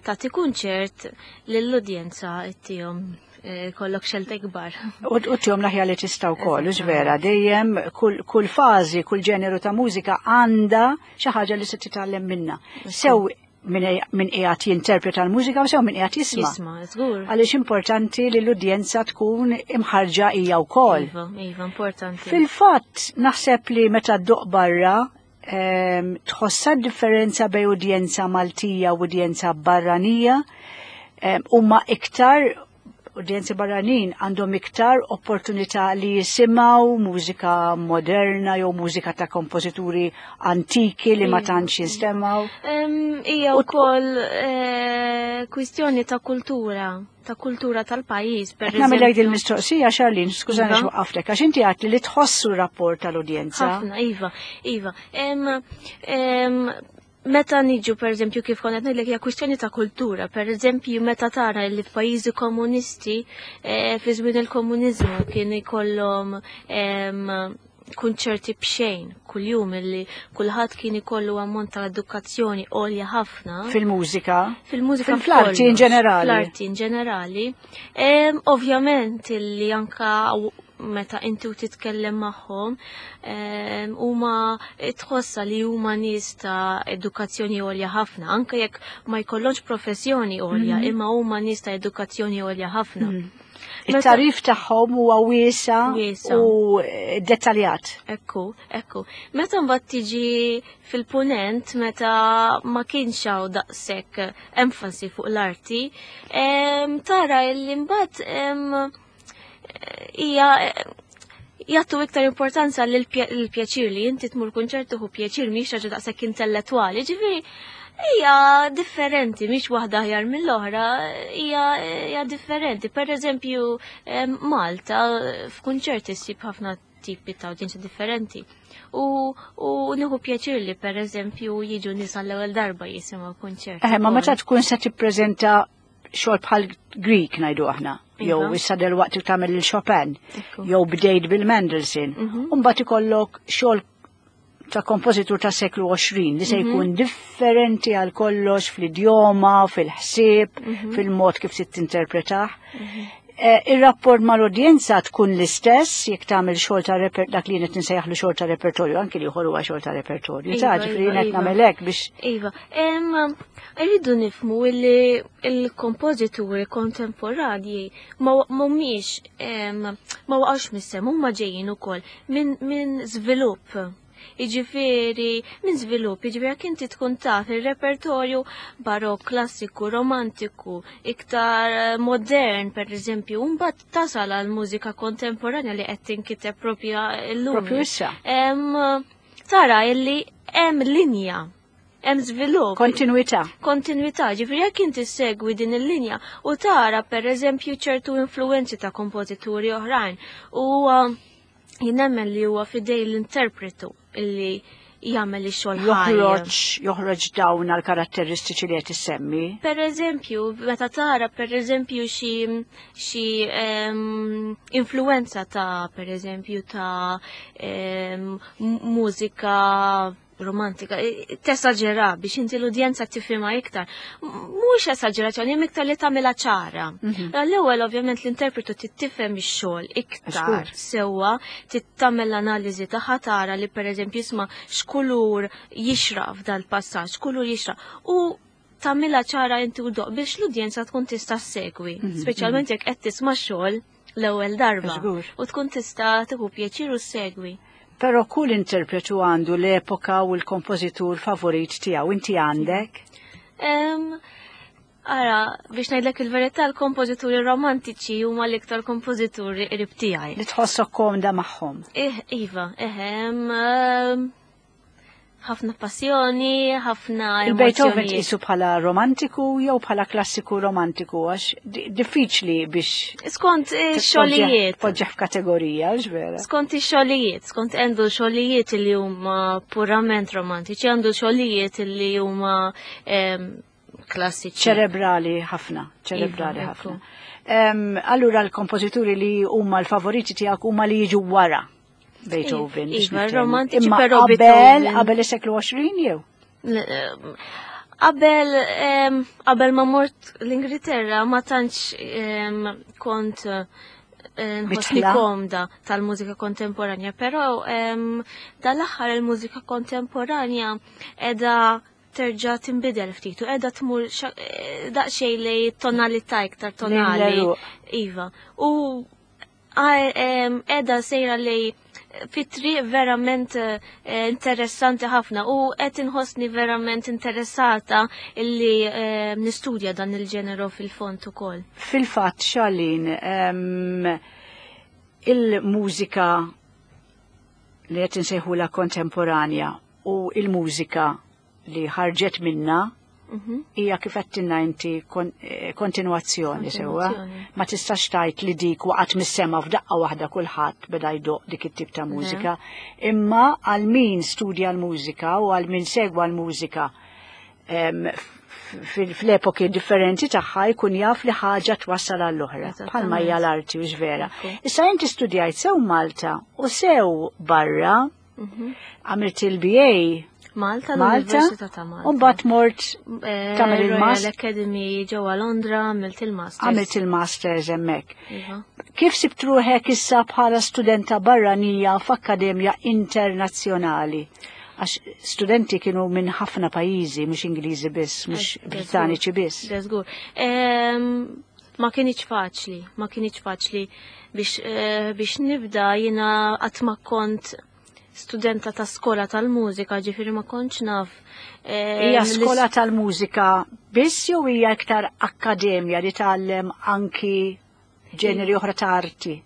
Speaker 3: tagħti kunċert lill-udjenza ittihom eh, kollok xelta kbar.
Speaker 2: U u ttihom l-aħjar li tista' wkoll, hux vera, dejjem kull, kull fażi, kull ġeneru ta' mużika għandha xi ħaġa li se titgħallem minna. Sew min min qiegħed jinterpreta l-mużika u sew min qiegħed jisma'.
Speaker 3: Jisma', żgur.
Speaker 2: Għaliex importanti li l-udjenza tkun imħarġa hija wkoll.
Speaker 3: Iva, iva, importanti.
Speaker 2: Fil-fatt, naħseb li meta ddoqq barra, em, tħossa differenza bejn udjenza Maltija u udjenza barranija, em, huma iktar udjenzi barranin għandhom iktar opportunità li jisimgħu mużika moderna jew mużika ta' kompożituri antiki li ma
Speaker 3: Iva.
Speaker 2: tantx jinstemgħu.
Speaker 3: Em, Hija
Speaker 2: U-
Speaker 3: wkoll eh, kwistjoni ta' kultura, ta' kultura tal-pajjiż, per
Speaker 2: Qed nagħmel
Speaker 3: eżempju.
Speaker 2: il-mistoqsija, Charlene, skużani
Speaker 3: Iva.
Speaker 2: x'waqqaftek, għax inti għedt li tħossu rapport tal-udjenza.
Speaker 3: Ħafna, iva, iva. Em, em, meta niġu, per eżempju, kif kont ngħidlek, hija kwistjoni ta' kultura. Per eżempju, meta tara li f'pajjiżi komunisti, eh, fi żmien il-komuniżmu kien ikollhom em, kunċerti b'xejn kuljum, illi kulħadd kien ikollu ammont ta' edukazzjoni għolja ħafna.
Speaker 2: Fil-mużika.
Speaker 3: Fil-mużika.
Speaker 2: Fil-arti in
Speaker 3: f'kollox,
Speaker 2: ġenerali.
Speaker 3: Fl-arti in ġenerali. Em, Ovvjament illi anka w- meta inti u titkellem magħhom em, huma tħossa li huma nies ta' edukazzjoni għolja ħafna, anke jekk ma jkollhomx professjoni għolja,
Speaker 2: Mhm.
Speaker 3: imma huma nies ta' edukazzjoni għolja ħafna.
Speaker 2: Mhm. Il-tarif tagħhom huwa wiesa u dettaljat.
Speaker 3: Ekku, ekku. Meta mbagħad tiġi fil-punent, meta ma kienx hawn daqshekk enfasi fuq l-arti, tara li mbagħad hija jagħtu iktar importanza lill-pjaċir li inti tmur kunċert tieħu pjaċir mhix ħaġa daqshekk intellettwali, ġifieri hija differenti, mhix waħda aħjar mill-oħra, hija differenti. Per eżempju, Malta f'kunċert issib ħafna tipi ta' udjenza differenti. U, u nieħu pjaċir li per eżempju jiġu nies għall-ewwel darba jisimgħu kunċert.
Speaker 2: Eh, ma meta tkun se tippreżenta xogħol bħal Grieg ngħidu aħna, jew issa delwaqt tagħmel il-Chopin, jew bdejt bil-Mendelssohn, u mbagħad ikollok xogħol ta' kompożitur ta' seklu għoxrin li se jkun differenti għal kollox fl-idjoma, fil-ħsieb, fil-mod kif tinterpretah. Ir-rapport mal-udjenza tkun l-istess jekk tagħmel xogħol ta' reper dak li qed insejjaħlu xogħol ta' repertorju, anki li ieħor huwa xogħol ta' repertorju. Ta' ġifieri qed nagħmel hekk biex.
Speaker 3: Iva, irridu nifhmu li l-kompożituri kontemporanji ma mhumiex ma waqgħux mis-sema, huma ġejjin ukoll minn żvilupp. Jiġifieri, minn żvilupp, jiġifieri jekk inti tkun taf ir-repertorju barokk, klassiku, romantiku, iktar modern, per eżempju, mbagħad tasal għal mużika kontemporanja li qed tinkiteb propja llum.
Speaker 2: Propju issa.
Speaker 3: Tara illi hemm linja, hemm żvilupp.
Speaker 2: Kontinuità.
Speaker 3: Kontinuità, ġifieri jekk inti segwi din il-linja u tara per eżempju ċertu influenzi ta' kompożituri oħrajn u jien nemmen li huwa fidej l-interpretu illi jagħmel ix-xogħol ħaj.
Speaker 2: Joħroġ, joħroġ dawn għal-karatteristiċi li qed issemmi.
Speaker 3: Per eżempju, meta tara per eżempju xi xi influenza ta' per eżempju ta' mużika romantika, tesaġera biex inti l-udjenza tifhimha iktar. Mhux esaġerazzjoni, hemm iktar li tagħmilha ċara. L-ewwel ovvjament l-interpretu tittifhem ix-xogħol iktar sewwa, tittamel l-analiżi tagħha tara li pereżempju isma' x'kulur jixraq f'dal-passaġġ, x'kulur jixraq. U tagħmilha ċara inti u doq biex l-udjenza tkun tista' ssegwi, speċjalment jekk qed tisma' xogħol l-ewwel darba. U tkun tista' tieħu pjaċir u ssegwi.
Speaker 2: Però kull interpretu għandu l-epoka u l-kompożitur favorit tiegħu. Inti għandek?
Speaker 3: Ara, biex ngħidlek il-verità, l-kompożituri romantiċi huma l-iktar kompożituri qrib tiegħi.
Speaker 2: Li tħossok komda magħhom.
Speaker 3: Eh, iva, eh, ħafna passjoni, ħafna
Speaker 2: Il-Beethoven tqisu bħala romantiku jew bħala klassiku romantiku, għax diffiċli biex
Speaker 3: Skont xogħlijiet.
Speaker 2: Poġġeħ f'kategorija, vera.
Speaker 3: Skont ix-xogħlijiet, skont għandu xogħlijiet li huma purament romantiċi, għandu xogħlijiet li huma klassiċi.
Speaker 2: Ċerebrali ħafna, ċerebrali ħafna. Allura l-kompożituri li huma l-favoriti tiegħek huma li jiġu wara Beethoven.
Speaker 3: Iva, romantiċi, però
Speaker 2: qabel, qabel is-seklu għoxrin jew?
Speaker 3: Qabel, qabel ma mort l-Ingilterra ma tantx kont nħossni komda tal-mużika kontemporanja, però dal-aħħar il-mużika kontemporanja qiegħda terġa' tinbidel ftit u qiegħda tmur daqsxejn li tonalità iktar tonali. Iva. U qiegħda sejra li fit-triq verament interessanti ħafna u qed inħossni verament interessata illi nistudja dan il-ġeneru fil-fond ukoll.
Speaker 2: Fil-fatt, Charlene, il-mużika li qed insejħula kontemporanja u il-mużika li ħarġet minna hija kif qed inti kontinwazzjoni sewwa. Ma tistax tgħid li dik waqgħet mis-sema f'daqqa waħda kulħadd beda jdoq dik it-tip ta' mużika. Imma għal min studja l-mużika u għal min segwa l-mużika fl-epoki differenti tagħha jkun jaf li ħaġa twassal għall-oħra. Bħalma hija l-arti u vera. Issa inti studjajt sew Malta u sew barra, għamilt il-B A
Speaker 3: Malta,
Speaker 2: Malta,
Speaker 3: l-Università ta' Malta.
Speaker 2: U mbagħad mort tagħmel
Speaker 3: Royal
Speaker 2: il-Master.
Speaker 3: Academy ġewwa Londra, għamilt il-Masters.
Speaker 2: Għamilt il-Masters hemmhekk.
Speaker 3: Iva.
Speaker 2: Kif sibt ruħek issa bħala studenta barranija f'akkademja internazzjonali? Għax studenti kienu minn ħafna pajjiżi, mhux Ingliżi biss, mhux
Speaker 3: Eh,
Speaker 2: Brittaniċi biss.
Speaker 3: Żgur. Ma kienx faċli, ma kienx faċli biex, eh, biex nibda. Jiena qatt ma kont studenta ta' skola tal-mużika, ġifieri ma kontx naf. eh,
Speaker 2: Hija
Speaker 3: l-
Speaker 2: skola tal-mużika biss jew hija iktar akkademja li tgħallem anki ġeneri oħra ta' arti?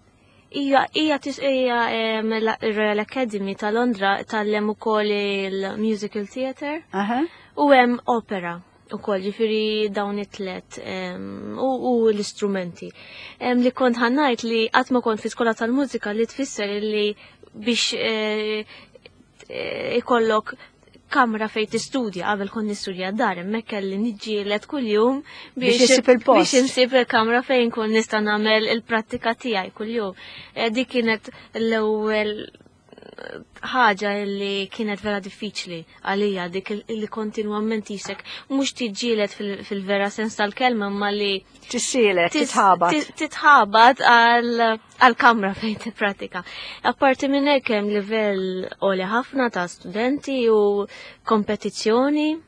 Speaker 3: Ija, ija, tis, ija em, la- Royal Academy ta' Londra tgħallem ukoll il-musical theatre
Speaker 2: Aha.
Speaker 3: u hemm opera ukoll, ġifieri dawn it-tlet em, u, u l-istrumenti. Em, li kont ħa ngħid li qatt ma kont fi skola tal-mużika, li tfisser li biex eh, eh, ikollok kamra fej tistudja. Qabel kont nistudja dar, hemmhekk kelli niġġieled kuljum
Speaker 2: Biex issib il-post.
Speaker 3: Biex insib il-kamra fejn kun nista' nagħmel il-prattika tiegħi kuljum. Eh, Dik kienet l-ewwel ħaġa li kienet vera diffiċli għalija, dik il- li kontinwament jisek mhux tiġġieled fil- fil-vera sens tal-kelma, ma li
Speaker 2: Tissielet,
Speaker 3: tis-
Speaker 2: titħabat.
Speaker 3: ti- titħabat għal għal kamra fejn tippratika. Apparti minn hekk hemm livell għoli ħafna ta' studenti u kompetizzjoni.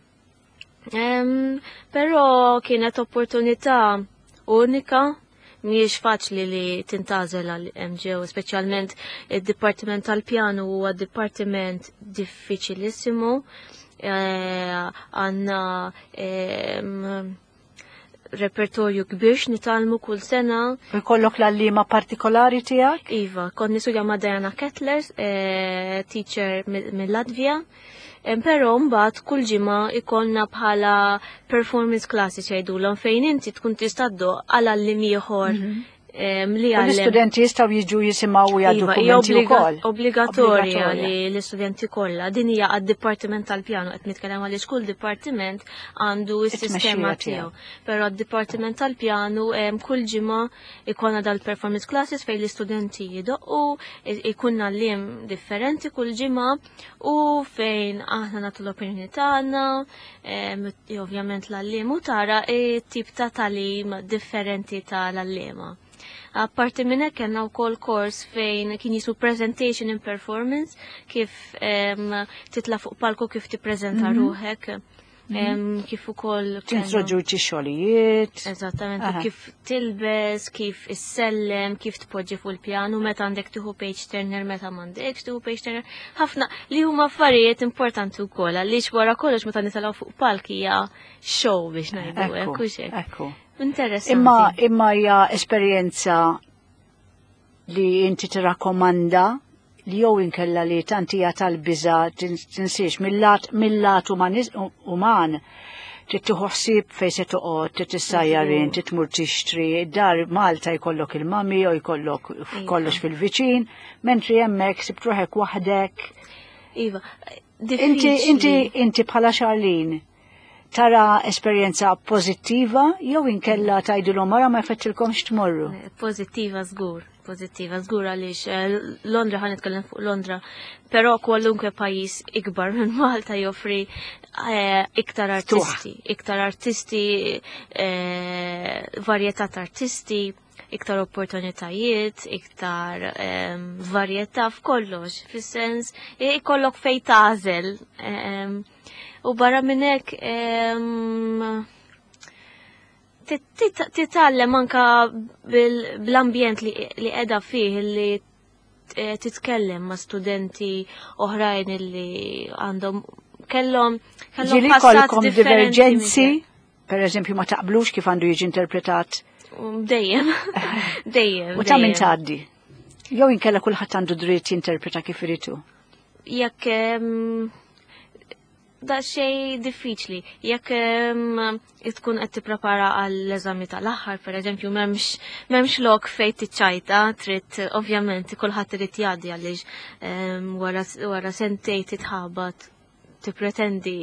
Speaker 3: Em, Però kienet opportunità unika, mhijiex faċli li tintgħażel għal M J O, speċjalment id-dipartiment tal-pjanu huwa dipartiment diffiċilissimu. Eh, Għandna em, repertorju kbir x'nitgħallmu kull sena.
Speaker 2: U jkollok l-għalliema partikolari tiegħek?
Speaker 3: Iva, kont nistudja ma' Diana Kettler, eh, teacher mill-Latvija. Però mbagħad kull ġimgħa ikollna bħala performance classes jgħidulhom, fejn inti tkun tista' ddoqq għal għalliem ieħor em, li
Speaker 2: U
Speaker 3: għallem.
Speaker 2: l-istudenti jistgħu jiġu jisimgħu u jgħaddu
Speaker 3: Iva, hija
Speaker 2: kummenti
Speaker 3: obbliga-
Speaker 2: wkoll.
Speaker 3: obbligatorja li l-istudenti kollha. Din hija għad-dipartiment tal-pjano qed nitkellem, għaliex kull dipartiment għandu s-sistema
Speaker 2: it-tmexxija tiegħu.
Speaker 3: tiegħu. Però għad-dipartiment tal-pjanu em, kull ġimgħa ikollna dal-performance classes fejn l-istudenti jidoqqu, i- ikun għalliem differenti kull ġimgħa u fejn aħna nagħtu l-opinjoni tagħna, em, ovvjament l-għalliem, u tara tip ta' tagħlim differenti tal-għalliema. Apparti minn hekk kellna wkoll kors fejn kien jismu presentation and performance, kif em, titla' fuq palku, kif tippreżenta mm -hmm. ruħek, em, kif ukoll kellna-
Speaker 2: Tintroduċi xogħlijiet.
Speaker 3: Eżattament, u
Speaker 2: Aha.
Speaker 3: kif tilbes, kif issellem, kif tpoġġi fuq il-pjanu, meta għandek tieħu page turner, meta m'għandekx tieħu page turner. Ħafna li huma affarijiet importanti wkoll, għaliex wara kollox meta nitilgħu fuq palk hija show, biex ngħidu hekk,
Speaker 2: Ekku,
Speaker 3: hux hekk.
Speaker 2: ekku.
Speaker 3: Interessanti.
Speaker 2: Imma imma hija esperjenza li inti tirakkomanda li jew inkella li tant hija tal-biża, tinsiex mill-lat mill-lat umanis- uman trid tieħu ħsieb fejn se toqgħod, trid tissajjar int, trid tmur tixtri, dar Malta jkollok il-mami u jkollok kollox fil-viċin, mentri hemmhekk sibt ruħek waħdek.
Speaker 3: Iva,
Speaker 2: Inti
Speaker 3: diffiċli.
Speaker 2: inti inti bħala Charlene tara esperjenza pożittiva jew inkella tgħidilhom mara ma jfettilkomx tmorru?
Speaker 3: Pozittiva żgur, pozittiva żgur, għaliex eh, Londra, ħa nitkellem fuq Londra, però kwalunkwe pajjiż ikbar minn Malta joffri eh, iktar artisti, iktar artisti, eh, varjetà ta' artisti, iktar opportunitajiet, iktar em, varjetà f'kollox, fis-sens ikollok fej tagħżel. em, U barra minn hekk em, tit- tit- titgħallem anka bil- bl-ambjent li li qiegħda fih, li eh, titkellem ma' studenti oħrajn li għandhom kellhom kellhom
Speaker 2: Ġieli
Speaker 3: passat
Speaker 2: kollkom
Speaker 3: differenti
Speaker 2: divergenzi,
Speaker 3: minn
Speaker 2: per eżempju ma taqblux kif għandu jiġi interpretat?
Speaker 3: Um, Dejjem, dejjem.
Speaker 2: U ta' min
Speaker 3: dejjem.
Speaker 2: tgħaddi? Jew inkella kulħadd għandu dritt jinterpreta kif iridu.
Speaker 3: Jekk em, da xej diffiċli. Jekk em, tkun qed tipprepara għall-eżami tal-aħħar, per eżempju, m'hemmx m'hemmx lok fejn tiċċajta, trid ovvjament kulħadd irid jgħaddi, għaliex em, wara wara sentej titħabat tippretendi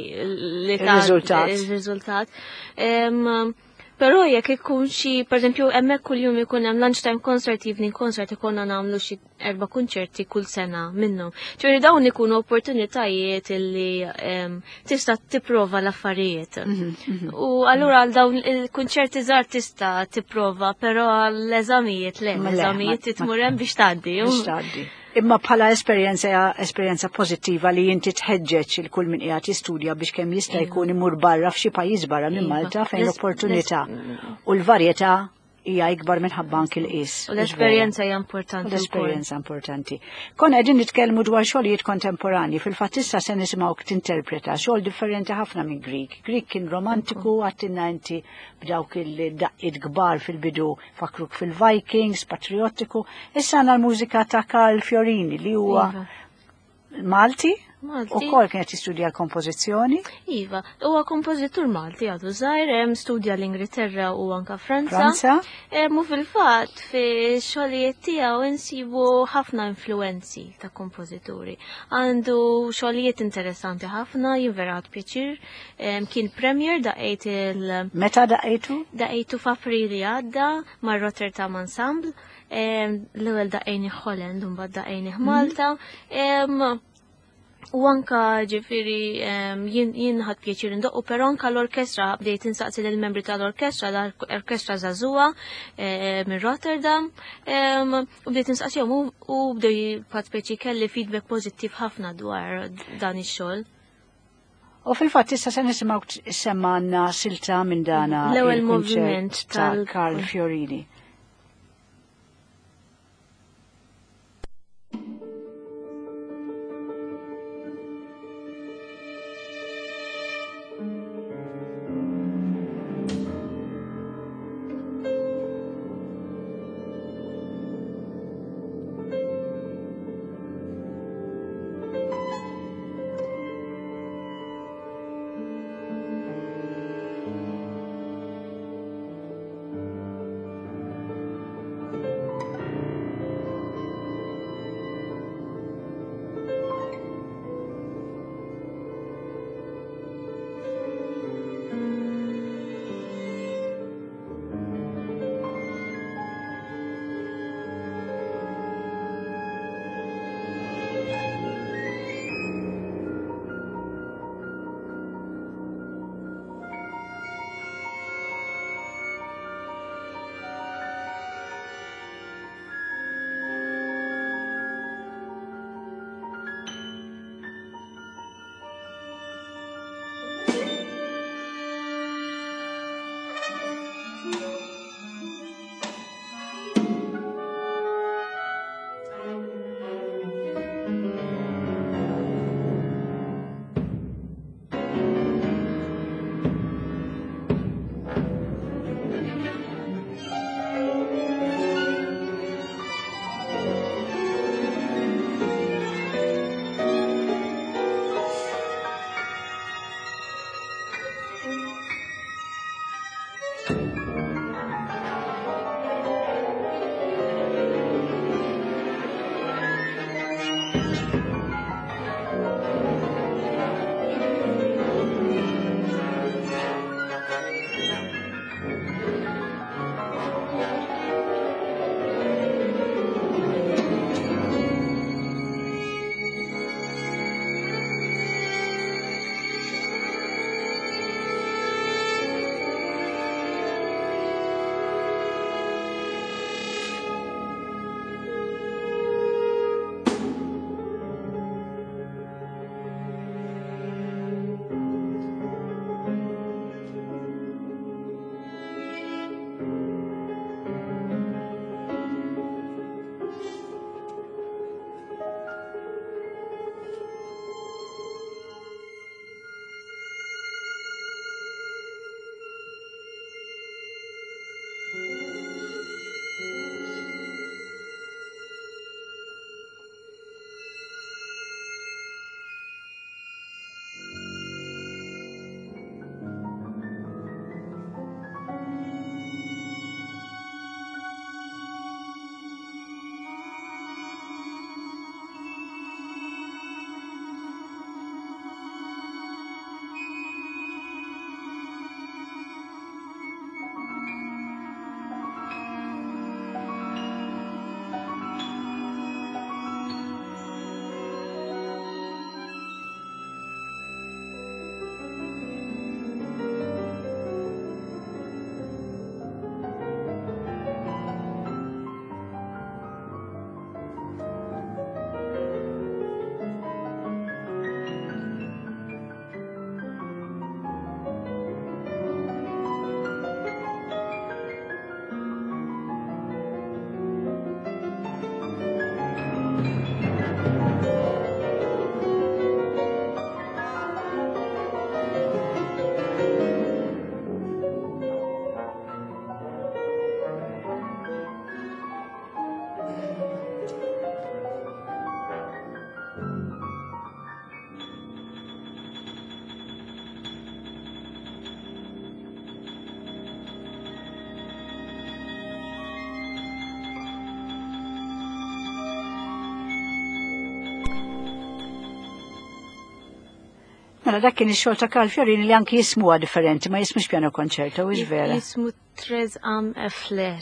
Speaker 3: li ta'
Speaker 2: Il-riżultat.
Speaker 3: Il-riżultat. Em, Però jekk ikun xi, per eżempju, hemmhekk kuljum ikun hemm lunchtime concert, evening concert, ikonna nagħmlu xi erba' kunċerti kull sena minnhom. Ġifieri dawn ikunu opportunitajiet illi em, tista' tipprova l-affarijiet. U allura għal dawn il-kunċerti żgħar tista' tipprova, però għall-eżamijiet le,
Speaker 2: Ma le,
Speaker 3: l-eżamijiet
Speaker 2: ma-
Speaker 3: titmur hemm biex tgħaddi.
Speaker 2: Biex tgħaddi. Imma bħala esperjenza esperjenza pożittiva li inti tħeġġeġ il kull min qiegħed jistudja biex kemm jista' jkun imur barra f'xi pajjiż barra minn
Speaker 3: Iva.
Speaker 2: Malta fejn
Speaker 3: L-es-
Speaker 2: l-opportunità u l-varjetà hija ikbar minħabba anki l-qis.
Speaker 3: U l-esperjenza hija importanti.
Speaker 2: U l-esperjenza importanti. Konna qegħdin nitkellmu dwar xogħlijiet kontemporani, fil-fatt issa se nisimgħu tinterpreta xogħol differenti ħafna minn Grieg. Grieg kien romantiku, għedtilna inti b'dawk il-daqqiet kbar fil-bidu fakruk fil-Vikings, patriottiku. Issa għandna l-mużika ta' Karl Fiorini li huwa
Speaker 3: Iva.
Speaker 2: Malti.
Speaker 3: Malti.
Speaker 2: U kol kienet jistudja l-kompożizzjoni.
Speaker 3: Iva, huwa kompożitur Malti għadu żgħir, hemm studja l-Ingilterra u anka Franza.
Speaker 2: Franza.
Speaker 3: Mu fil-fatt fi xogħlijiet tiegħu insibu ħafna influenzi ta' kompożituri. Għandu xogħlijiet interessanti ħafna, jien vera ħadt pjaċir. Kien premier daqqiet il
Speaker 2: Meta daqqejtu?
Speaker 3: Daqqejtu f'April li għadda mar Rotterdam Ensemble. L-ewwel daqqejni Holland u mbagħad daqqejni Malta. U anka ġifieri jien ħadt pjaċir indoqqu, però anka l-orkestra bdejt insaqsi lill-membri tal-orkestra, l-orkestra żagħżugħa minn Rotterdam, u bdejt insaqsihom u bdew ħadt pjaċir kelli feedback pożittiv ħafna dwar dan ix-xogħol.
Speaker 2: U fil-fatt issa se nisimgħu semmanna silta minn dana
Speaker 3: l-ewwel
Speaker 2: il-kunċert
Speaker 3: moviment
Speaker 2: ta'
Speaker 3: tal-
Speaker 2: Karl Fiorini. Mela dak kien ix-xogħol ta' Karl Fiorini li anki jismuha differenti, ma jismux piano concerto, hux vera.
Speaker 3: Jismu Tres Am Flair.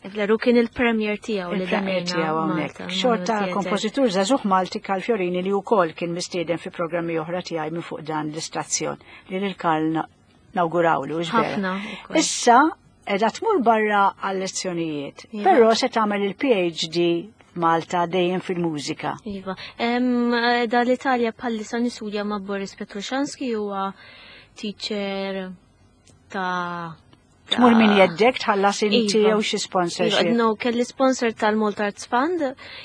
Speaker 3: Flair u kien il-premier tiegħu li
Speaker 2: Il-premier
Speaker 3: daqqejna
Speaker 2: tiegħu hawnhekk.
Speaker 3: Malta,
Speaker 2: Xogħol ta'
Speaker 3: Theatre.
Speaker 2: kompożitur żagħżugħ Malti Karl Fiorini li wkoll kien mistieden fi programmi oħra tiegħi minn fuq dan l-istazzjon li lil Karl na- nawgurawlu, hux vera.
Speaker 3: Ħafna ukoll.
Speaker 2: Issa qiegħda tmur barra għal lezzjonijiet,
Speaker 3: Iva.
Speaker 2: però se tagħmel il-PhD f'Malta dejjem fil-mużika.
Speaker 3: Iva. Em, Da l-Italja bħalissa nistudja ma' Boris Petrushansky huwa teacher ta'
Speaker 2: Tmur minn jeddek tħallas inti
Speaker 3: Iva.
Speaker 2: jew xi sponsorship.
Speaker 3: Iva, no, kelli sponsor tal-Malta Arts Fund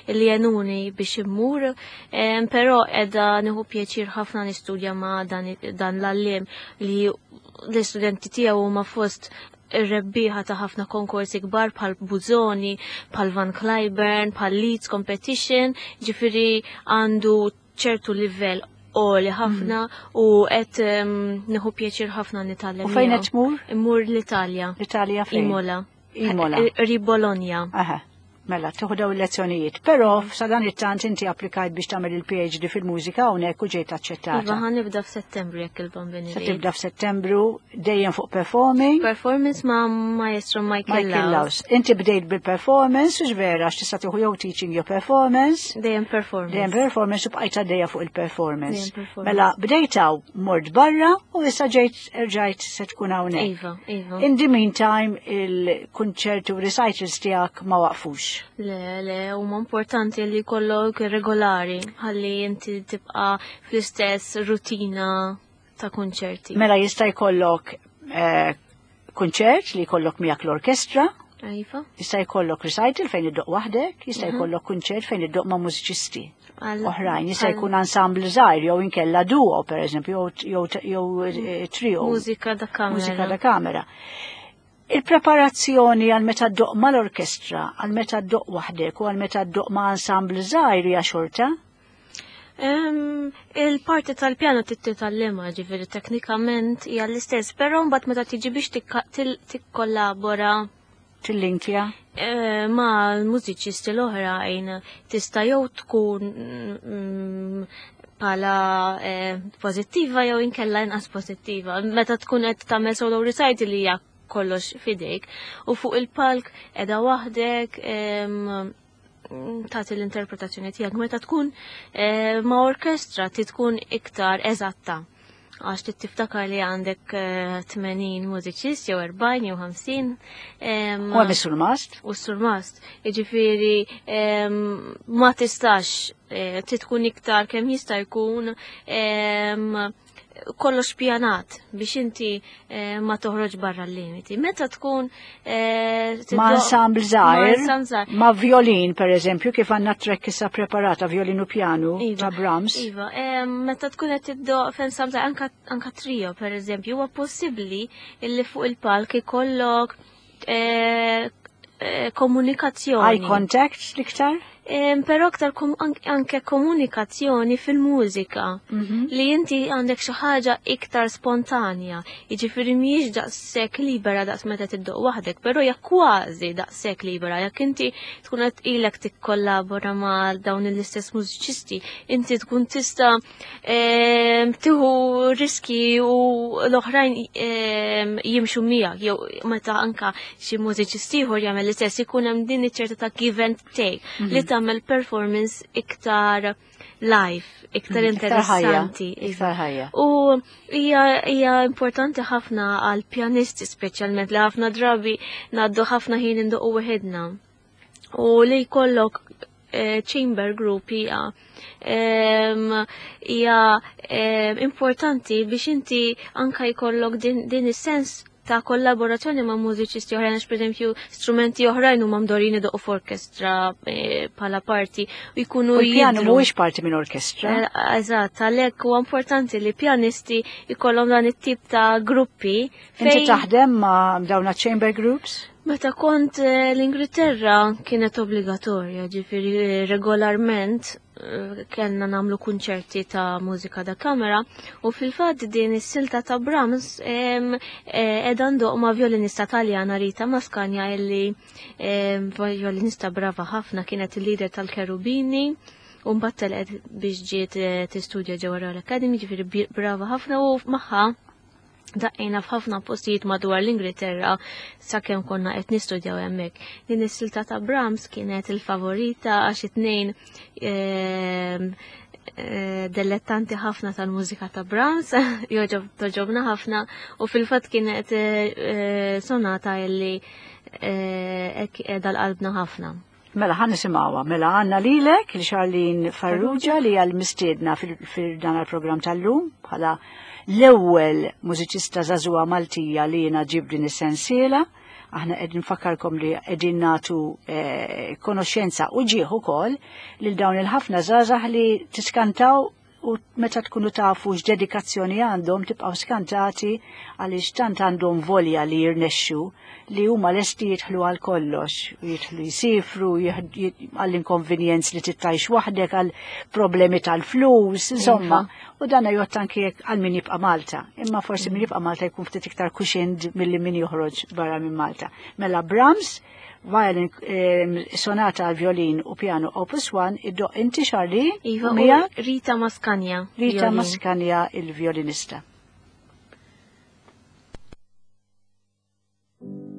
Speaker 3: li għenuni biex immur, em, però qiegħda nieħu pjaċir ħafna nistudja ma' dan, dan l-għalliem li l-istudenti tiegħu huma fost ir-rebbieħa ta' ħafna konkorsi kbar bħal Busoni, bħal Van Cliburn, bħal Leeds Competition, ġifieri għandu ċertu livell għoli ħafna u qed em, nieħu pjaċir ħafna nitgħallem.
Speaker 2: U fejn
Speaker 3: miegħu.
Speaker 2: qed tmur?
Speaker 3: Immur l-Italja.
Speaker 2: L-Italja fejn?
Speaker 3: Imola.
Speaker 2: Imola.
Speaker 3: Ri Bologna.
Speaker 2: Aha. Mela, tieħu daw il-lezzjonijiet. Però sa dan it-tant inti applikajt biex tagħmel il-PhD fil-mużika hawnhekk u ġejt
Speaker 3: Iva
Speaker 2: aċċettata.
Speaker 3: ħa nibda f'Settembru jekk il-Bambin
Speaker 2: Se tibda f'Settembru dejjem fuq performing.
Speaker 3: Performance ma' Maestro Michael,
Speaker 2: Michael
Speaker 3: Laus.
Speaker 2: Laus. Inti bdejt bil-performance, u vera, għax tista' tieħu jew teaching jew performance.
Speaker 3: Dejjem performance.
Speaker 2: Dejjem performance u bqajt għaddejja fuq il-performance.
Speaker 3: Dejjem performance.
Speaker 2: Mela, bdejt hawn mort barra u issa ġejt erġajt se tkun hawnhekk.
Speaker 3: Iva, iva.
Speaker 2: In the meantime, il-kunċerti u recitals tiegħek ma waqfux.
Speaker 3: Le, le, huma importanti li jkollok regolari, ħalli inti tibqa fl-istess rutina ta' konċerti.
Speaker 2: Mela jista' jkollok eh, kunċert li jkollok miegħek l-orkestra,
Speaker 3: Iva.
Speaker 2: jista' jkollok recital fejn iddoq waħdek, jista' jkollok kunċert fejn iddoq ma' mużiċisti
Speaker 3: Għal-
Speaker 2: oħrajn, jista'
Speaker 3: għal
Speaker 2: jkun ensemble żgħir jew inkella duo pereżempju jew jew eh, trio.
Speaker 3: Mużika da kamera.
Speaker 2: Mużika da kamera. Il-preparazzjoni għal meta ddoq mal-orkestra, għal meta ddoq waħdek u għal meta ddoq ma' ensemble żgħir hija xorta?
Speaker 3: Em, Il-parti tal-pjano titgħallimha ġifieri teknikament hija l-istess, però mbagħad meta tiġi biex tikka- til- tikkollabora
Speaker 2: Tillinkja?
Speaker 3: eh, ma' l-mużiċisti l-oħrajn tista' jew tkun mm, pala eh, pożittiva jew inkella inqas pożittiva. Meta tkun qed tagħmel solo recital li hija kollox fidejk u fuq il-palk qiegħda waħdek em, tagħti l-interpretazzjoni tiegħek meta tkun eh, ma' orkestra ti tkun iktar eżatta għax trid tiftakar li għandek eh, tmenin mużiċist jew erbgħin jew ħamsin. em,
Speaker 2: U għem is-surmast?
Speaker 3: u s-surmast. Jiġifieri em, ma tistax eh, trid tkun iktar kemm jista' jkun em, kollox pjanat biex inti eh, ma toħroġ barra l-limiti. Meta tkun eh,
Speaker 2: Ma'
Speaker 3: tiddoq-
Speaker 2: ensemble
Speaker 3: ma'
Speaker 2: żgħir,
Speaker 3: ensemble żgħir.
Speaker 2: ma' violin per eżempju, kif għandna track issa preparata, violin u piano
Speaker 3: Iva,
Speaker 2: ta' Brahms.
Speaker 3: Iva, em, meta tkun qed tiddoq f'ensemble żgħir, anka anka trio per eżempju, huwa possibbli illi fuq il-palk ikollok eh, eh, komunikazzjoni.
Speaker 2: Eye contact l-iktar?
Speaker 3: Em, Però aktar kom, an- anke komunikazzjoni fil-mużika li inti għandek xi ħaġa iktar spontanja. Jiġifieri mhijiex daqshekk libera daqs meta tiddoq waħdek, però hija kważi daqshekk libera. Jekk inti tkun qed ilek tikkollabora ma' dawn l-istess mużiċisti, inti tkun tista' em, tieħu riski u l-oħrajn em, jimxu miegħek jew meta anka xi mużiċist ieħor jagħmel l-istess ikun hemm din iċ-ċerta ta' give and take li tagħmel performance iktar live, iktar
Speaker 2: Mm, Iktar ħajja.
Speaker 3: interessanti.
Speaker 2: Iktar ħajja.
Speaker 3: U hija hija importanti ħafna għal pjanisti speċjalment li ħafna drabi ngħaddu ħafna ħin indoqqu weħidna. U li jkollok eh, chamber group hija em, hija em, importanti biex inti anka jkollok din, din is-sens ta' kollaborazzjoni ma' mużiċisti oħrajn, għax pereżempju strumenti oħrajn huma mdorin idoqqu f'orkestra eh, bħala parti u jkunu
Speaker 2: U l-pjano
Speaker 3: jidhru.
Speaker 2: mhuwiex parti minn orkestra.
Speaker 3: Eh, Eżatt, għalhekk huwa importanti li pjanisti jkollhom dan it-tip ta' gruppi
Speaker 2: Inti
Speaker 3: fejn
Speaker 2: taħdem ma' dawna chamber groups?
Speaker 3: meta kont eh, l-Ingilterra kienet obbligatorja, ġifieri eh, regolarment eh, kellna nagħmlu kunċerti ta' mużika da kamera u fil-fatt din is-silta ta' Brahms em, eh, qiegħda ndoq ma' violinista Taljana Rita Mascagna illi em, violinista brava ħafna kienet il-leader tal-Cherubini U mbagħad telqet biex ġiet eh, tistudja ġewwa Royal Academy, ġifieri brava ħafna u magħha daqqejna f'ħafna postijiet madwar l-Ingilterra sakemm konna qed nistudjaw hemmhekk. Din is-silta ta' Brahms kienet il-favorita għax it-tnejn ehm, eh, delettanti ħafna tal-mużika ta' Brahms, joġob toġobna ħafna u fil-fatt kienet eh, sonata illi hekk qiegħda l-qalbna ħafna.
Speaker 2: Mela ħan nisimgħuha, mela għandna lilek li Charlene Farrugia li għal mistiedna fil-dan il-programm tal-lum bħala l-ewwel mużiċista żagħżugħa Maltija li jiena ġib din is-sensiela. Aħna qegħdin nfakkarkom li qegħdin nagħtu eh, konoxxenza u ġieħ ukoll lil dawn il-ħafna żgħażagħ li tiskantaw u meta tkunu tafu x'dedikazzjoni għandhom tibqgħu skantati għaliex tant għandhom volja li jirnexxu li huma lesti jidħlu għal kollox, jidħlu jsifru, għall-inkonvenjenz li tittajx waħdek, għal problemi tal-flus, insomma. U dana jgħod anki għal min jibqa' Malta. Imma forsi min jibqa' Malta jkun ftit iktar cushioned milli min joħroġ barra minn Malta. Mela Brahms, violin, eh, sonata għal violin u piano opus one, iddoqq inti Charlene,
Speaker 3: Iva,
Speaker 2: u miegħek
Speaker 3: u Rita Maskanja.
Speaker 2: Rita
Speaker 3: violin.
Speaker 2: Maskanja il-violinista.
Speaker 4: Thank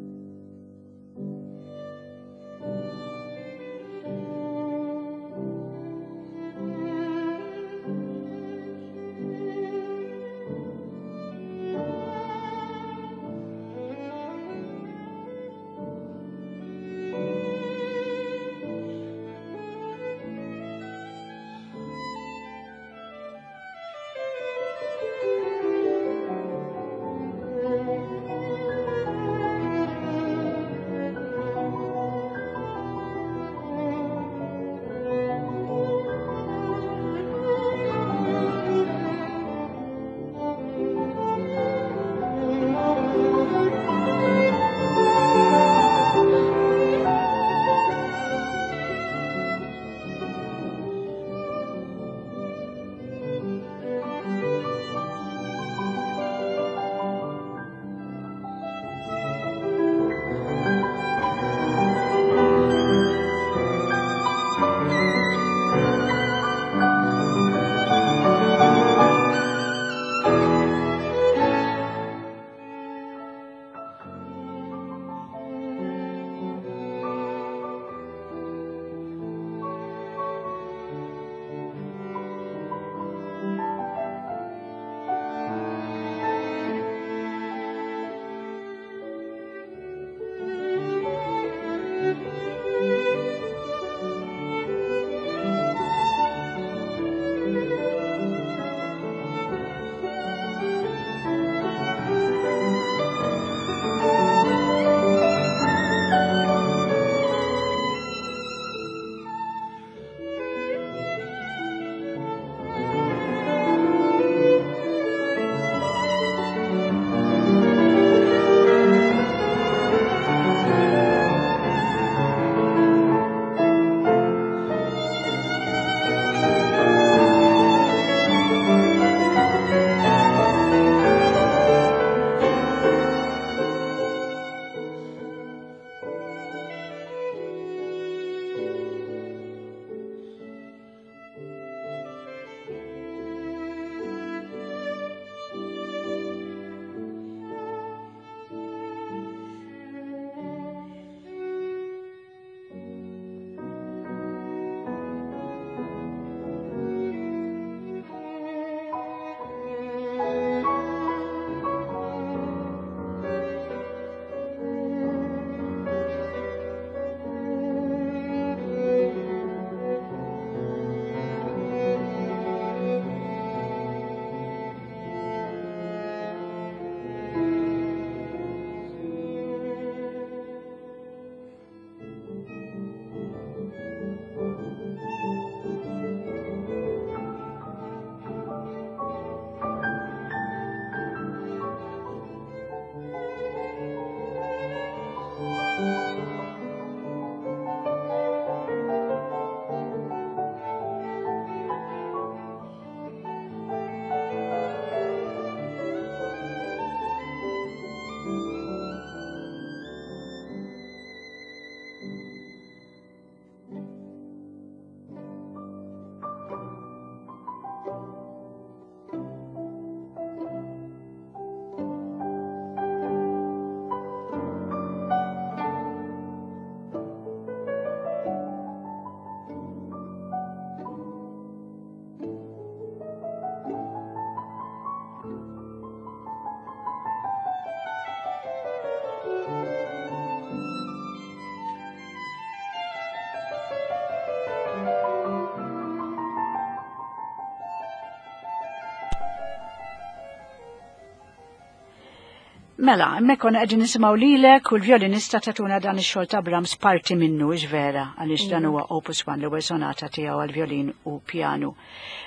Speaker 2: Mela, hemmhekk konna qegħdin nisimgħu lilek u l-vjolinista tatuna dan ix-xogħol ta' Brahms parti minnu, hux vera, għaliex dan huwa Opus one, l-ewwel sonata tiegħu għall-vjolin u pjanu.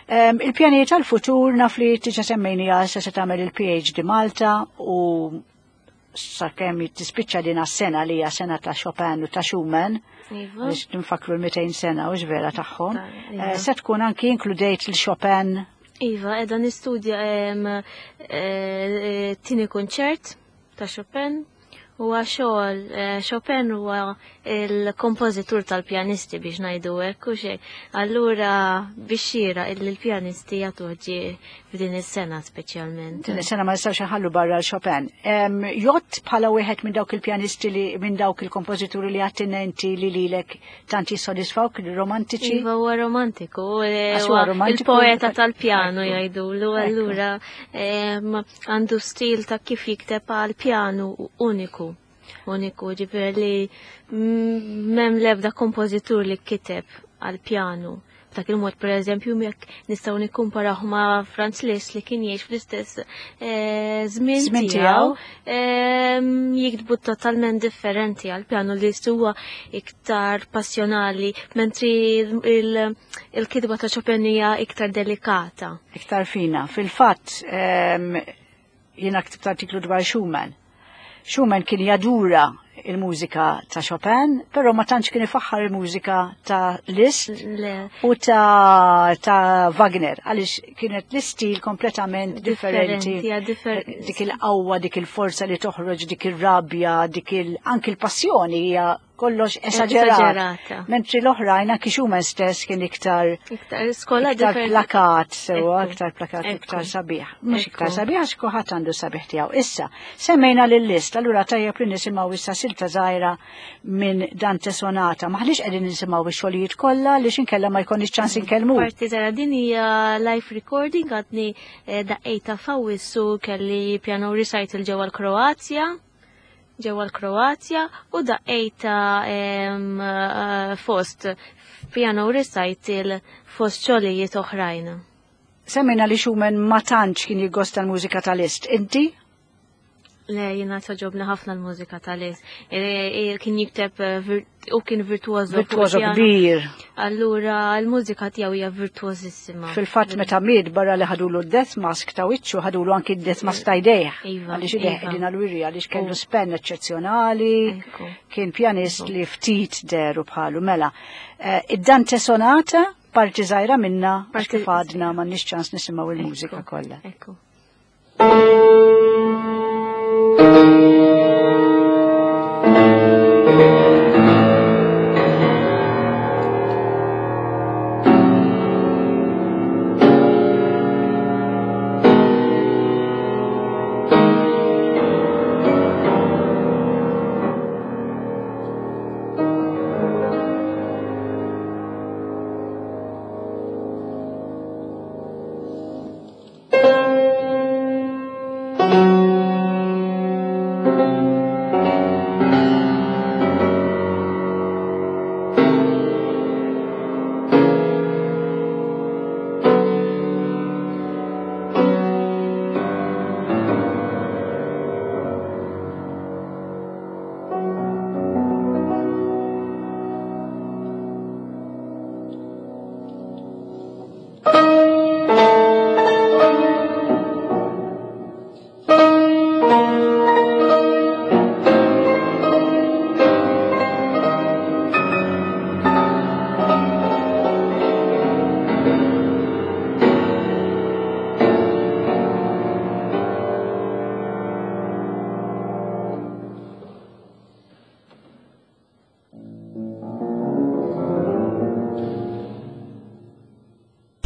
Speaker 2: Um, il-pjanijiet tal-futur naf li diġà semmejniha se se tagħmel il-P H D Malta u sakemm tispiċċa din is-sena li hija sena ta' Chopin u ta' Schumann,
Speaker 3: Iva.
Speaker 2: biex nfakru l-mitejn sena, hux vera, tagħhom.
Speaker 3: Iva.
Speaker 2: Eh, Se tkun anki inkludejt il-Chopin.
Speaker 3: Iva, edha nistudja em, eh, tieni kunċert ta' Chopin. Huwa xogħol, eh, Chopin huwa il-kompożitur tal-pjanisti biex ngħidu hekk u xejn. Allura biex xira illi l-pjanisti jagħtuh ġie f'din is-sena speċjalment.
Speaker 2: Din is-sena ma nistgħux nħallu barra l-Chopin. Em, Jott bħala wieħed minn dawk il-pjanisti li minn dawk il-kompożituri li attinenti li lilek tant jissodisfawk, romantiċi.
Speaker 3: Iva, huwa romantiku, eh,
Speaker 2: Għax huwa
Speaker 3: huwa
Speaker 2: romantiku.
Speaker 3: il-poeta tal-pjanu
Speaker 2: Ekku.
Speaker 3: jgħidulu,
Speaker 2: Ekku.
Speaker 3: allura em, għandu stil ta' kif jikteb għal-pjanu uniku. Uniku, ġifieri li mm, m'hemm lebda kompożitur li kiteb għal-pjanu. B'dak il-mod, per eżempju, jekk nistgħu nikkumparaw ma' Franz Liszt li kien jgħix fl-istess eh, żmien
Speaker 2: Żmien
Speaker 3: tiegħu, em, jiktbu totalment differenti għal-pjanu. Li huwa iktar passjonali, mentri il- il-kitba ta' Chopin hija iktar delikata.
Speaker 2: Iktar fina. Fil-fatt, em, jiena ktibt artiklu dwar Schumann. Schumann kien jadura il-mużika ta' Chopin, però ma tantx kien ifaħħar il-mużika ta' Liszt
Speaker 3: Le,
Speaker 2: u ta', ta' Wagner, għaliex kienet l-istil kompletament differenti.
Speaker 3: Differenti, ja, differ-
Speaker 2: Dik il-qawwa, dik il-forza li toħroġ, dik il-rabja, dik il anki il-passjoni hija kollox esaġerat.
Speaker 3: Esaġerata.
Speaker 2: Mentri l-oħrajn, anki Schumann stess kien iktar
Speaker 3: Iktar skola
Speaker 2: iktar
Speaker 3: differenti.
Speaker 2: plakat, sewa,
Speaker 3: Ekku.
Speaker 2: iktar plakat,
Speaker 3: Ekku.
Speaker 2: iktar sabiħ. Mhux
Speaker 3: Ekku.
Speaker 2: iktar sabiħ għax kulħadd għandu sabiħ tiegħu. Issa, semmejna lil Liszt, allura tajjeb li nisimgħu issa silta żgħira minn Dante Sonata. Maħniex qegħdin nisimgħu ix-xogħlijiet kollha li inkella ma jkollniex ċans inkellmu.
Speaker 3: Parti żgħira, din hija live recording, għadni eh, daqqejta f'Awwissu, kelli piano recital ġewwa l-Kroazja ġewwa l-Kroazja u daqqejta em, eh, fost piano recital fost xogħlijiet oħrajn.
Speaker 2: Semmejna li Schumann ma tantx kien jiggosta l-mużika ta' Liszt. Inti?
Speaker 3: Le, jiena togħġobni ħafna l-mużika ta' Liszt. E, e, kien jikteb eh, vir- u kien virtuoso fuq
Speaker 2: Virtuoso
Speaker 3: il-pjano.
Speaker 2: kbir.
Speaker 3: Allura l-mużika tiegħu hija virtuosissima.
Speaker 2: Fil-fatt meta miet, barra li ħadulu d-death mask ta' wiċċu, ħadulu anki d-death mask ta' jdejh.
Speaker 3: Iva,
Speaker 2: Għaliex idejh
Speaker 3: iva.
Speaker 2: qegħdin għal-wirja, għaliex kellu
Speaker 3: U-
Speaker 2: spen eċċezzjonali.
Speaker 3: Ekku.
Speaker 2: Kien pjanist li ftit deru bħalu. Mela, eh, id-Dante Sonata, parti żgħira minna, għax
Speaker 3: Parti
Speaker 2: kif għadna m'għandniex ċans nisimgħu il-mużika
Speaker 3: Ekku,
Speaker 2: kollha.
Speaker 3: Ekku.
Speaker 4: Thank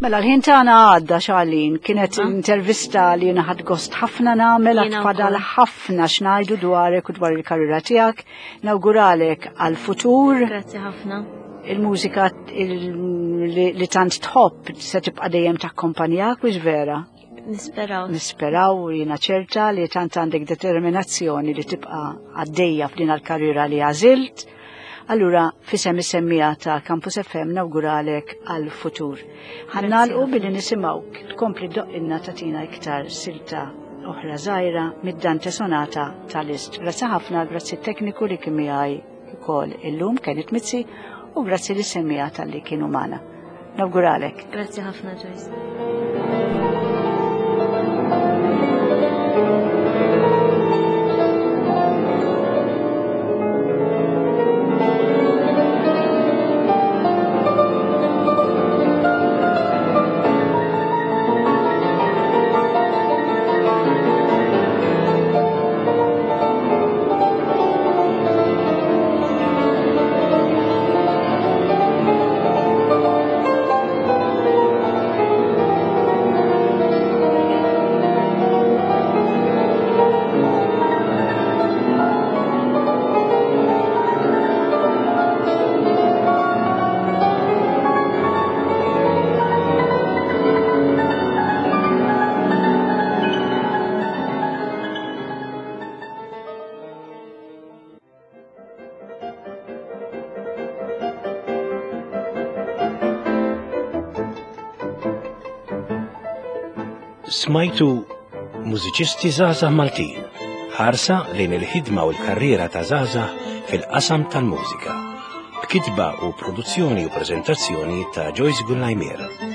Speaker 2: Mela, l-ħin tagħna għadda, Charlene, kienet intervista li jiena ħadt gost ħafna nagħmel,
Speaker 3: Jiena
Speaker 2: fadal
Speaker 3: wkoll.
Speaker 2: ħafna x'ngħidu dwarek u dwar il-karriera tiegħek. Nawguralek għal-futur,
Speaker 3: Grazzi ħafna.
Speaker 2: il-mużika il- li, li tant tħobb se tibqa' dejjem takkompanjak, mhux vera?
Speaker 3: Nisperaw.
Speaker 2: Nisperaw, jiena ċerta li tant għandek determinazzjoni li tibqa' għaddejja f'din għal-karriera li għażilt. Allura, f'isem is-semmiegħa ta' Campus F M nawguralek għal-futur. Ħa nagħlqu
Speaker 3: ħafna.
Speaker 2: billi nisimgħuk tkompli ddoqqilna, tagħtina iktar silta oħra żgħira mid-Dante Sonata ta' Liszt. Grazzi ħafna, grazzi tekniku li kien miegħi ukoll illum Kenneth Mizzi u grazzi li semmija tal-li kienu magħna. Nawguralek.
Speaker 3: Grazzi ħafna, Joyce.
Speaker 1: Smajtu mużiċisti żgħażagħ Maltin, ħarsa lejn il-ħidma u l-karriera ta' żgħażagħ fil-qasam tal-mużika. B'kitba u produzzjoni u preżentazzjoni ta' Joyce Gullajmier.